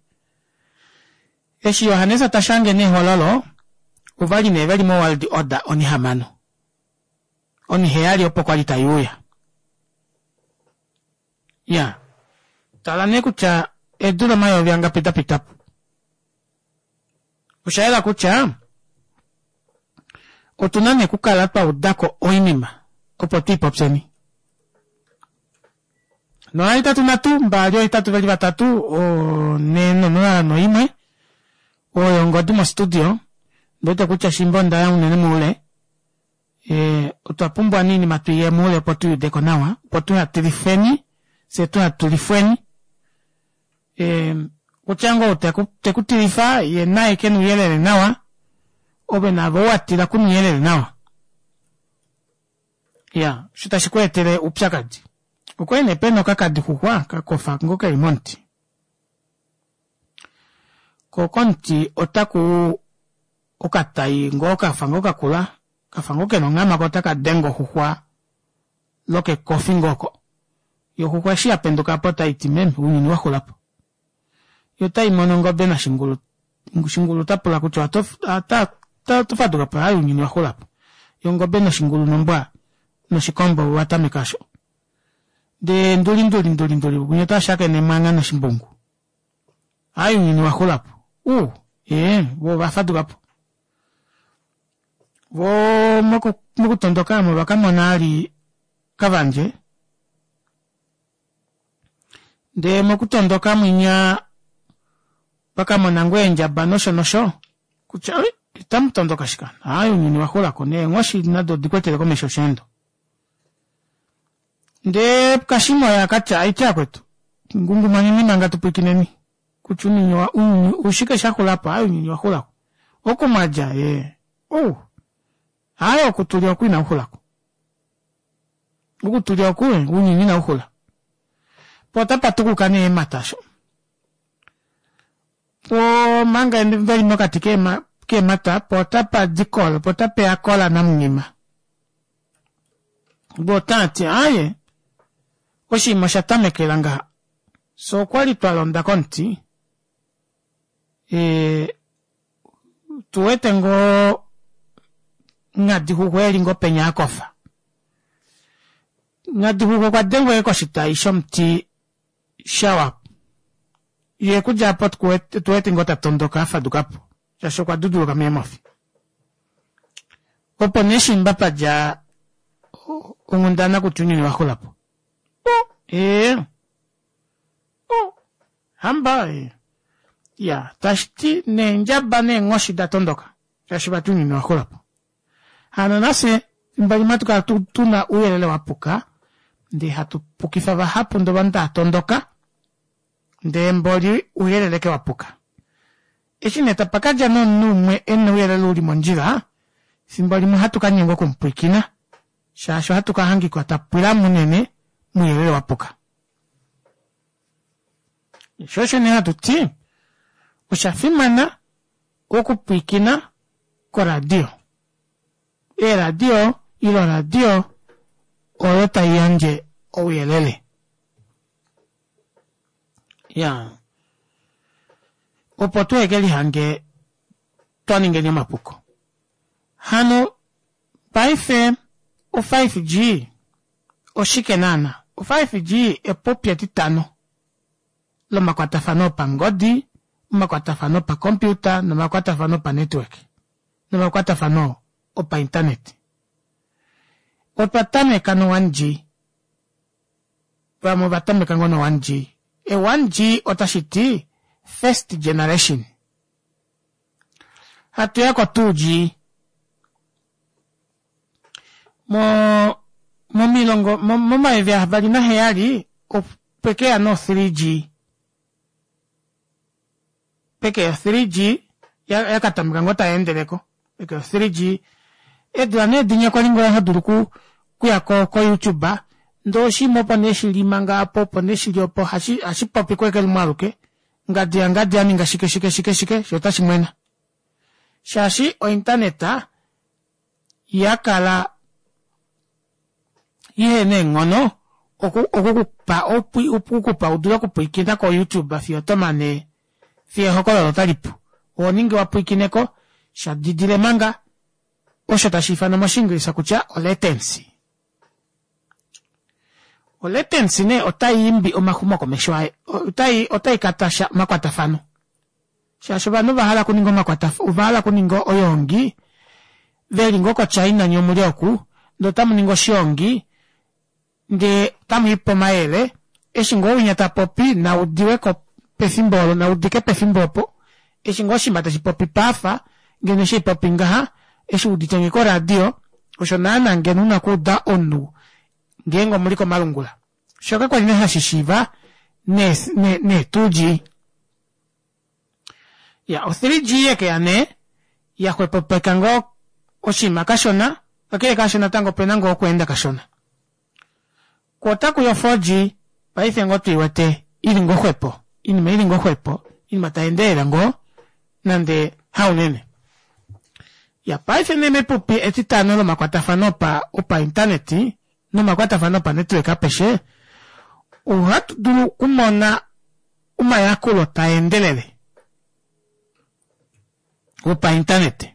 eshi Johannes tashange nehololo ovali nee veli mo World Order onihamano. Oniheyali opo kwali taiuya. Ya. Tala nee kutya eedula omayovi angapi dapitapo. Oshayela kutya otuna nee okukala twaudako oinima opo tuipopyeni. Nohetatu nhatu mbali ohetatu veli vatatu onhe nonola noimwe oyo ongodi mo studio ondiwete kutya shimba ondaya unene moule ee otwa pumbwa nee oinima tuiye moule opo tuyuudeko nawa opo tuhatilifweni fyee tuhatulifweni ee kutya ngoo ou tekutilifa yee naye kena ouyelele nawa ove naave ou watila kuna ouyelele nawa iyaa osho tashi kweetele oupyakadi. Okwali nee pena okakadixuxwa kakofa ngoo keli momuti koo komuti otakuu okatai ngoo kafa ngoo kakula kafa ngoo kena onghama koo otakadenge oxuxwa lokekofi ngoo oko yoo oxuxwa eshi yapendukapo otaiti meme ounyuni waxulapo yoo otaimono ongobe nashingulu shingulu otapula kutya oto fadukapo aaye ounyuni owaxulapo yoo ongobe noshingulu nombwa noshikombo ovatameka aasho ndee nduli nduli nduli nduli winya otashakene emwangha noshimbungu aaye ounyuni owaxulapo uu ee voo ovafadukapo voo mokutondoka aamo ovakamona vali kavandje ndee mokutondoka mwinya vakamona ngoo eendjaba nosho nosho kutya oi otamutondoka shike hano aaye ounyuni owaxulako neenghoshi nado odikwetele komesho osheendo. Ndee kashima oye akatya aiti vakwetu ngungumaneni manga tupwiikineni kutya ounyuni oshike shaxulapo aaye ounyuni owaxulako oku mwadja ee ou aaye oku tuli oku inakuxulako oku tuli oku ounyuni inauxula poo otapatukuka nee eemata aasho poo omanga veli mokati keemata poo otapadi kola poo otapeya kola namunghima voo otaati aaye oshinima osha tamekela ngaha fyee okwali twalonda komuti ee otuwete ngoo nghadixuxwa eli ngoo penya akofa nghadixuxwa okwa dengwa ashike koshitayi shomuti shawa yee okudja aapo otuwete ngoo tatondoka afadukapo shaashi okwa duduluka meemofi opo nee shimba padja onghundana kutya ounyuni owaxulapo ee hamba iya tashiti neendjaba neenghoshi datondoka shaashi vati ounyuni owaxulapo hano nafye efimbo limwe ohatukala tuna ouyelele wapuka ndee hatu pukifa vahapu ndee ovanhu taatondoka ndee mboli ouyelele ashike wapuka. Eshi nee tapakadja nee omunhu umwe ena ouyelele uli mondjila efimbo limwe ohatu kanyengwa okumupwiikina shaashi ohatu kahangika twapwilamo unene mouyelele wapuka. Shoo osho nee hatuti oshafimana okupwiikina koradio. Eeradio ile oradio oyo taiyandje ouyelele. Iyaa opo tuhekelihange twaningeni omapuko. Hano paife o five G oshike naana? O five G epupi etitano lomakwatafano opangodi, omakwatafano opacomputer nomakwatafano opa network nomakwatafano opa internet. Otwa tameka no one G vamwe ovatameka ngoo no one G. E one G otashiti first generation. Hatuya ko two G moo momilongo momayovi avali naheyali Pwekeya no three G. Pekeya three G yakatameka ngoo tayeendeleko pekeya o three G eedula nee dinya kwali ngoo hodulu okuya ko youtube ndee oshiima opo nee shili manga aapo opo nee shili opo ohashipopi ashike lumwe aluke ngadi yangadi aninga shike shike shike shoo otashimwena shaashi o internet yakala ihena eenghono okukupa okukupa udule okupwiikina ko youtube fiyo otomane fiyo ehokololo otalipu ohoningi wapwiikineko shadidile manga osho tashiifanwa moshingilisha kutya o latency. O latency nee otaiimbi omaxumokomesho otai otaikatasha omakwatafano shaashi ovanhu ovahala okuninga omakwatafano ovahala okuninga oyoongi veli ngoo ko china nyee omuli oku ndee otamuningi oshoongi ndee otamwiipe omayele eshi ngoo winya tapopi naudiweko pefimbo olo naudike pefimbo opo eshi ngoo oshinima tashipopi paafa ngeno eshi haipopi ngaha eshi wuuditenge koradio osho naana ngeno una okuuda omunhu ngeenge omuli komalungula shoo kakwali nee hashishiiva nee nee two G. Iyaa o three G yekeya nee yaxwepopeka ngoo oshinima kashona kakele kaasho natango opena ngoo okweenda kashona koo otakuya o four G paife ngoo tuiwete ili ngoo xwepo oinima ili ngoo xwepo oinima tayeendelele ngoo nande haunene. Iyaa paife nee mepupi etitano lomakwatafano opa opa internet nomakwatafano opa network apeshe ohatudulu okumona omayakulo taendelele opa internet.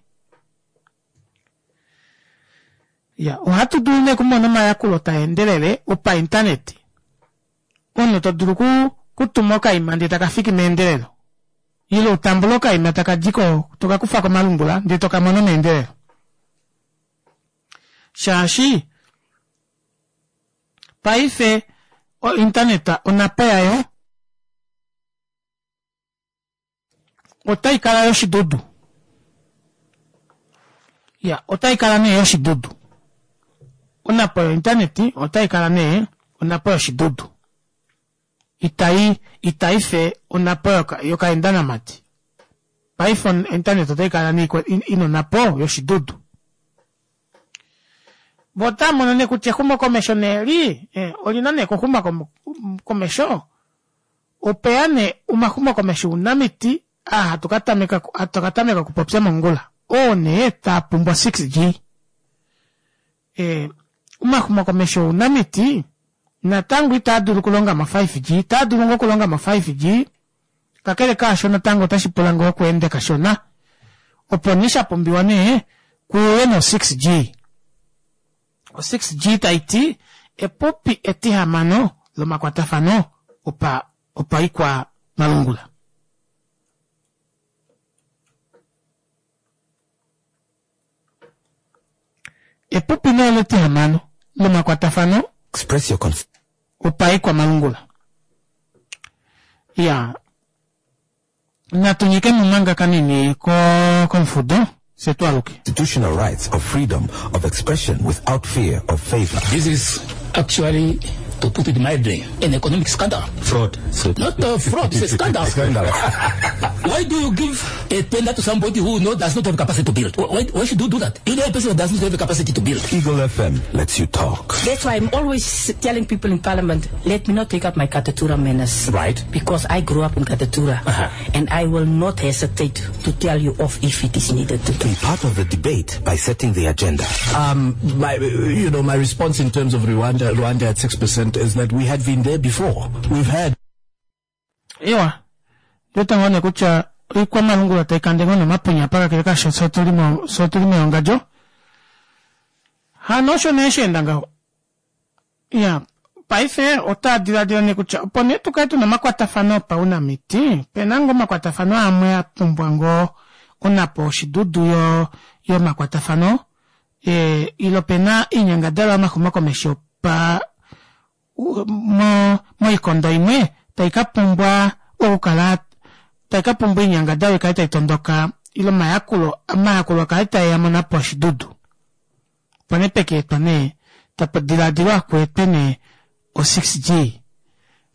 Iya ohatu dulu nee okumona omayakulo taendelele opa internet omunhu todulu okutuma okaima ndee takafiki meendelelo ile utambule okaima takadi ko tokakufa komalungula ndee tokamono meendelelo shaashi paife o internet onapo yayo otaikala yoshidudu iya otaikala nee yoshidudu onapo yo internet otaikala nee onapo yoshidudu itai itaife onapo yokaendanamati paife o internet otaikala nee ina onapo yoshidudu voo otaamono nee kutya exumokomesho nee eli olina nee okuxuma komesho opeya nee omaxumokomesho ounamiti aa hatu katameka hatu katameka okupopya mongula oo nee taapumbwa six G omaxumokomesho ounamiti natango itaadulu okulonga mo five G otaadulu ngoo okulonga mo five G kakele kaasho natango otashipula ngoo okweenda kashona opo nee shapumbiwa nee kuuye no six G o six G taiti epupi etihamano lomakwatafano opa opaikwa malungula. Epupi nee letihamano lomakwatafano Express your opaikwa malungula. Iyaa natu nyikemo manga kanini komufudo fye twaaluke. Constitutional rights of freedom of expression without fear of favor. This is actually, to put it mildly, an economic scandal. Fraud. Not a fraud, it's a scandal. Scandal. Why do you give a tender to somebody who knows does not have capacity to build? Why, why should you do that? You know a person who does not have the capacity to build. Eagle F M lets you talk. That's why I'm always telling people in Parliament, let me not take up my Katutura manners. Right. Because I grew up in Katutura. Uh-huh. And I will not hesitate to tell you off if it is needed to. Be part of the debate by setting the agenda. Um, my, you know, my response in terms of Rwanda, Rwanda at six percent is that we had been there before. We've had. Ewa, ndotango nee kutya oikwamalungula taikande ngoo nomapunya apa kakele kaasho fye otuli mo fye otuli meongadjo. Hano osho nee sheenda ngaho. Iya, paife otaa diladila nee kutya opo nee tukale tuna omakwatafano opaunamiti, pena ngoo omakwatafano amwe a pumbwa ngoo onapo oshidudu yo yomakwatafano e, ile pena oinyangadalwa yomaxumokomesho pa mo moikondo imwe taikapumbwa okukala taikapumbwa oinyangadalwa ikale taitondoka ile omayakulo omayakulo akale taeya monapo oshidudu. Opo nee pekeetwa nee tapa dilaadilwa kweetwe nee o six G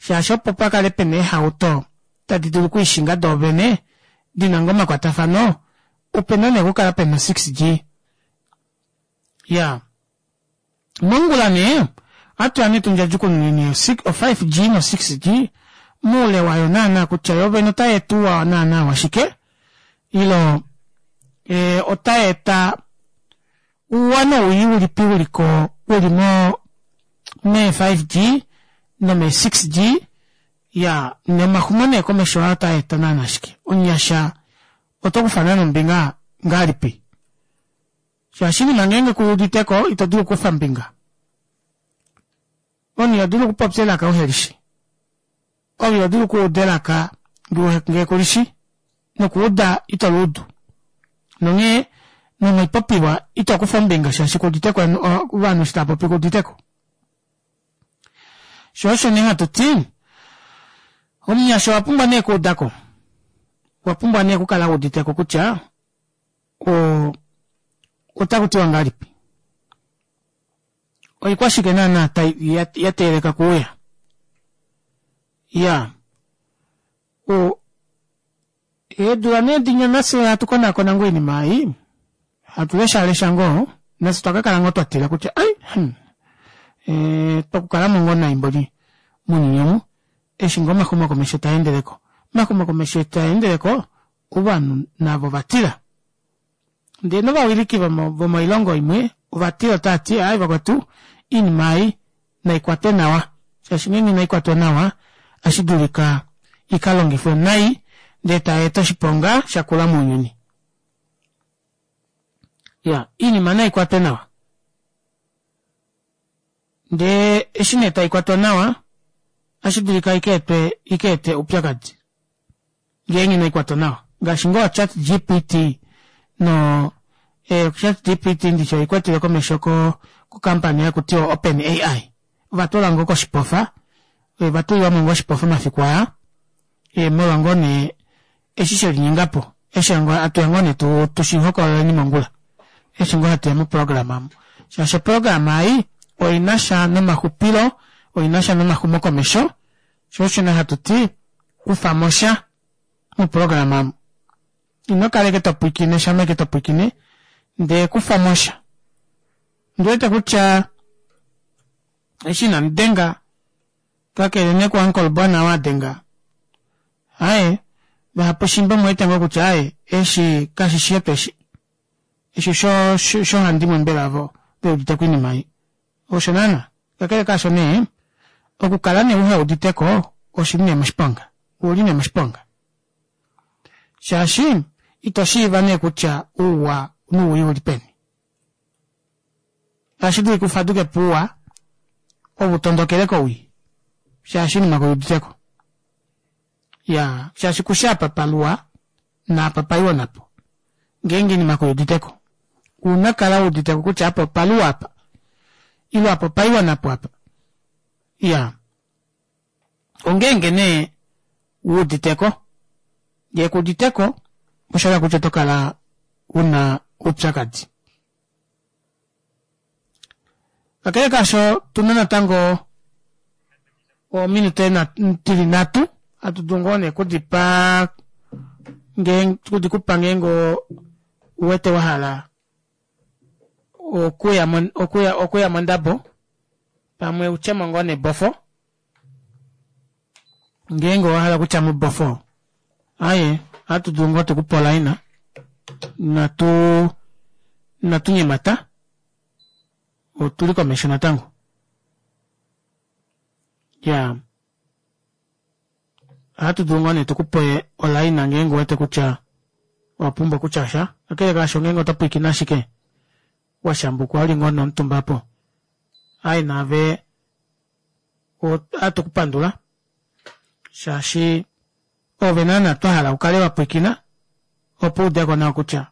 Shaashi opo pakale pena eehauto tadi dulu okwiishinga doovene dina ngoo omakwatafano opena nee okukala pena six G. Iyaa mongula nee ohatuya nee tundjadjukununeni o five G no six G moule wayo naana kutya yoovene otayeeta ouwa naana washike ile otayeeta ouwa nowii ulipi uliko uli moo mee five G nomee six G iyaa nomaxumo nee komesho aa otaeta naana shike omunyasha otokufa naana ombinga ngahelipi shaashi oinima ngenge kuyuuditeko itodulu okukufa ombinga omunhu ihodulu okupopya elaka uhelishi ove ihodulu okuuda elaka ngee kulishi nokuuda itoluudu nonghee nomoipopiwa itokufa ombinga shaashi kuuditeko ovanhu eshi taapopi kuuditeko shoo osho nee hatuti omunyasha owapumbwa nee okuudako owapumbwa nee okukala wuuditeko kutya oo otakutiwa ngahelipi oikwashike naana yateeleka okuuya iyaa o eedula nee dinya nafye hatu konaakona ngoo oinima ei hatu leshalesha ngoo nafye otwa kakala ngoo twatila kutya ai hmm twakukalamo ngoo nai mboli mounyuni omu eshi ngoo omaxumokomesho taendeleko omaxumokomesho eshi taendeleko ovanhu navo ovatila ndee novawiliki vomoilongo imwe ovatila otaati aaye vakwetu oinima ei naikwatwe nawa shaashi ngeenge inaikwatwa nawa ohashidulika ikalongifwe nai ndee tayeeta oshiponga shakula mounyuni. Iyaa oinima naikwatwe nawa ndee eshi nee taikwatwa nawa ohashidulika ikaete ikaete oupyakadi ngeenge inaikwatwa nawa ngaashi ngoo chat G P T noo chat G P T ndishi oikwatelwe komesho ko company hakutiwa open A I ovatula ngoo koshipofa ovatulilwamo ngoo oshipofa omafiku aa molwa ngoo nee eshi shelinyengapo eshi hatuya ngoo nee tushihokololeni mongula eshi ngoo hatuya moprograma aamo shaashi oprograma ei oinasha nomaxupilo oinasha nomaxumokomesho shoo osho nee hatuti kufamosha moprograma aamo inokala ashike topwiikine shama ashike topwiikine ndee kufamosha ondiwete kutya eshi inamudenga kakele nee ku uncle bona oo adenga aaye vahapu shimba omuwete ngoo kutya aaye eshi kashishi shetu eshi eshi oshoohandimwe mbela ovo veuditeko oinima ei osho naana kakele kaasho nee okukala nee uheuditeko oshili nee moshiponga ouli nee moshiponga shaashi itoshiiva nee kutya ouwa nowii ouli peni ohashidulika ufadukepo ouwa ove utondokele kowii shaashi oinima kuyuuditeko iyaa shaashi kushi apa paluwa naapa paiwa napo ngeenge oinima kuyuuditeko ouna okukala wuuditeko kutya apa opaluwa apa ile apa opaiwa napo apa iyaa ongeenge nee wuuditeko ngee kuuditeko oshahala kutya otokala una oupyakadi kakele kaasho otuna natango ominute dili nhatu hatu dulu ngoo nee okudipa okudikupa ngeenge ouwete wahala okuya okuya mondabo pamwe utyemo ngoo nebofo ngeenge owahala okutyamo ebofo aaye ohatu dulu ngoo tukupe olaina inatu inatu nyemata otuli komesho natango iyaa ohatu dulu ngoo nee tukupe olaina ngeenge ouwete kutya owapumbwa okutyasha kakele kaasho ngeenge oto pwiikine ashike washambukwa uli ngoo nee omutumba aapo aaye naave ohatu kupandula shaashi ove naana twahala ukale wapwiikina opo uudeko nawa kutya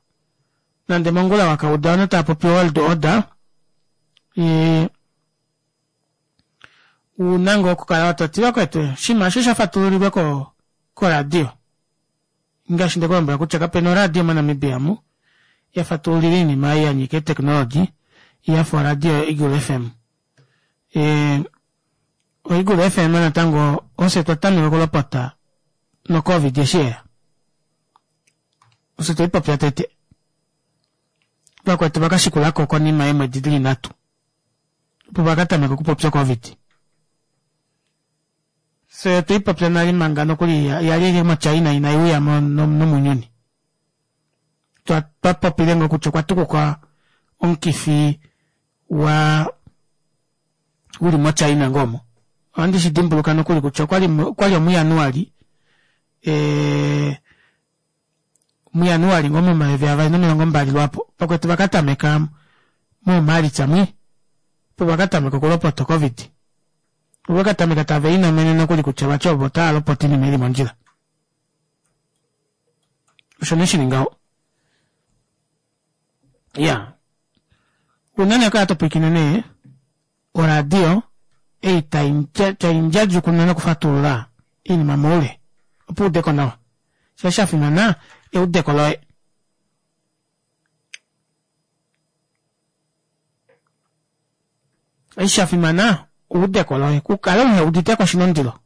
nande mongula wakauda ovanhu tavapopi world order ouna ngoo okukala toti vakwetu oshinima aasho oshafatululilwe koradio ngaashi ndekulombwela kutya kapena oradio mo Namibia omu yafatululila oinima ei yanyika ee technology yafa oradio yo Eagle F M Oeagle F M natango ofye twa tameka okulopota no COVID eshi yeya. Ofye tweipopya tete. Vakwetu vakashikulako konima yeemwedi dili nhatu. Opo vakatameka okupopya COVID. Fye otweipopya nale manga nokuli yali ashike moChina inai uya nomounyuni. Twa popile ngoo kutya okwa tukuka omukifi wa uli moChina ngoo omo. Ohandi shi dimbuluka nokuli kutya okwali okwali omuJanuali ee muJanuali ngoo momayovi avali nomilongo mbali lwaapo. Vakwetu vakatameka muMaalitsa mwi opo vakatameka okulopota COVID. Ovakatameka tave linomene nokuli kutya vati ovo otava lopota oinima ili mondjila. Osho nee shili ngaho. Iya. Unene kala to pwilikine nee oradio ei tai ndjadjukununa nokufatulula oinima moule opo uudeko nawa. Sho sha fimana eudeko loye. Eshi sha fimana eudeko loye. Kukale uhe uditeko oshina ondilo.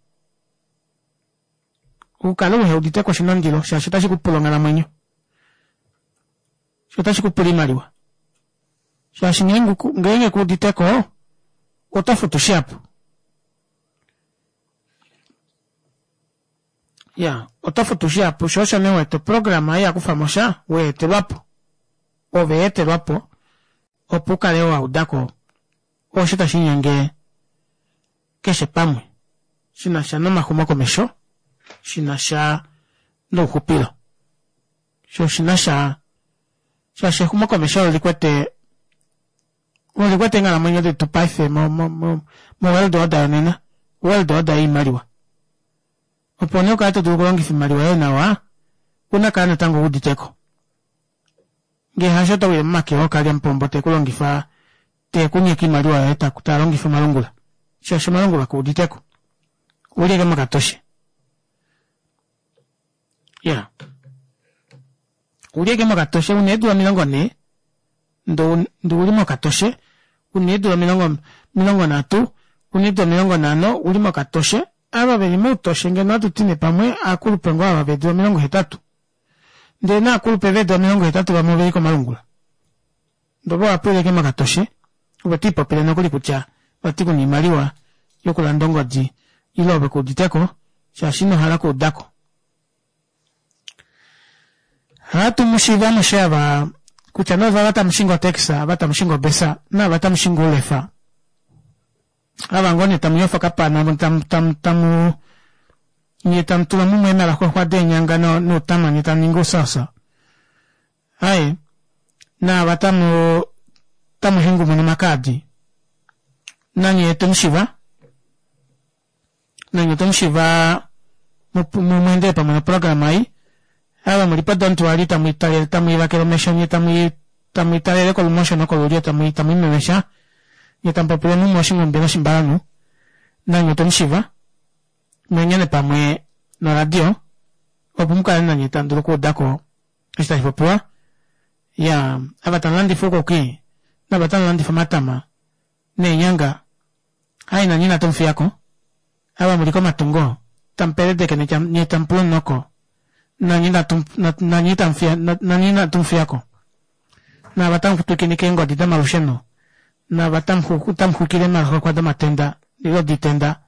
Ukale uhe uditeko oshina ondilo shaashi otashi kupula onghalamwenyo. Sho otashi kupula oimaliwa. Shaashi ngeenge kuuditeko oto futu shihapu. Ya, oto futu shihapu sho osho nee uwete oprograma ei yakufamo sha weetelwapo. Ove etelwapo opo ukale waudako osho tashi linyenge keshe pamwe shinasha nomaxumokomesho, shinasha nouxupilo. Sho oshinasha shaashi exumokomesho olikwete olikwete eenghalamwenyo detu paife mo mo mo world order yonena, world order yoimaliwa. Opo nee ukale todulu okulongifa oimaliwa yoye nawa, ouna kala natango wuuditeko. Ngee hasho oto wile momake ookalyamupombo tekulongifa tekunyeke oimaliwa yoye talongifa omalungula. Shaashi omalungula kuuditeko. Ouli ashike mokatoshe. Iya. Ouli ashike mokatoshe una eedula omilongo nhee ndee ouli mokatoshe, una eedula omilongo omilongo nhatu, una eedula omilongo nhano ouli mokatoshe. Ava veli moutoshe ngeno ohatuti nee pamwe aakulupe ngoo ava veedula omilongo hetatu. Ndee naakulupe veedula omilongo hetatu vamwe oveli komalungula. Ndee ove owapwila ashike mokatoshe ove twiipopile nokuli kutya vati kuna oimaliwa yokulanda ongodi ile ove kuuditeko shaashi inohala okuudako. Ohatu mushiiva amushe ava kutya nee ovava tamu shingi otaxi, ava tamu shingi obesa naava tamu shingi oulefa. Ava ngoo nee tamu yofa okapana tamu tamu tamu nyee tamu tula mumwe eemalaxwexwa deenyanga noutama nyee tamu ningi ousausa. Aaye naava tamu tamu hengumuna omakaadi nanye otwemushiva nanye otwemushiva mweendele pamwe noprograma ei. Ava muli po don't worry tamu tamwiivakele omesho nyee tamwiitalele kolumosho nokolulyo tamwiimemesha nyee tamupopile mumwe oshinghumbi noshimbalanhu nanye otwemushiva mweengene pamwe noradio opo mukale nanye tamudulu okuudako eshi tashi popiwa. Iyaa ava tamulandifa oukuki naava tamulandifa omatama neenyanga aaye nanye inatu mufiyako. Ava muli komatungo tamupeledeke nyee tamupula omunoko nanye nanye inatu mufiyako. Naava tamutwikinike eengodi domalusheno naava tamuxwikile eemalaxwexwa domatenda ile doitenda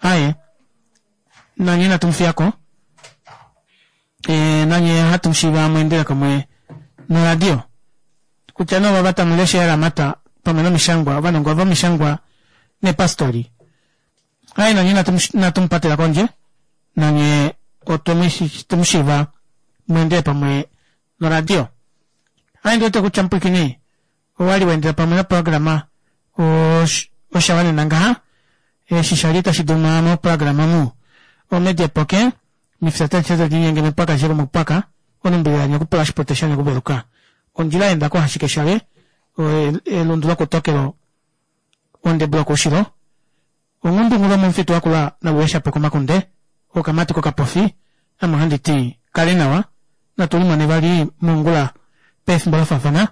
aaye nanye inatu mufiyako. Ee nanye ohatu mushiiva mweendele pamwe noradio. Kutya nee ovava tamulesha eelamata pamwe nomishangwa ovanongo vomishangwa neepastori aaye nanye inatu mupatela kondje nanye otwemushiiva mweendele pamwe noradio. Aaye ondiwete kutya mupwiikini owali waendela pamwe noprograma oshawanena ngaha eshi shali tashi duma moprograma omu omedia poke mifya talishe talinyenge mepwaka alishe lomupwaka onumbilila nyakupula oshipote shanyakuveluka ondjila yaenda kohashikeshale elundu lokutokelo ondebu lokoushilo onghundunghulu yomomufitu wakula naluheshapo komakunde okamati kokapofi ame ohanditi kale nawa natu limone vali mongula pefimbo lafaafana.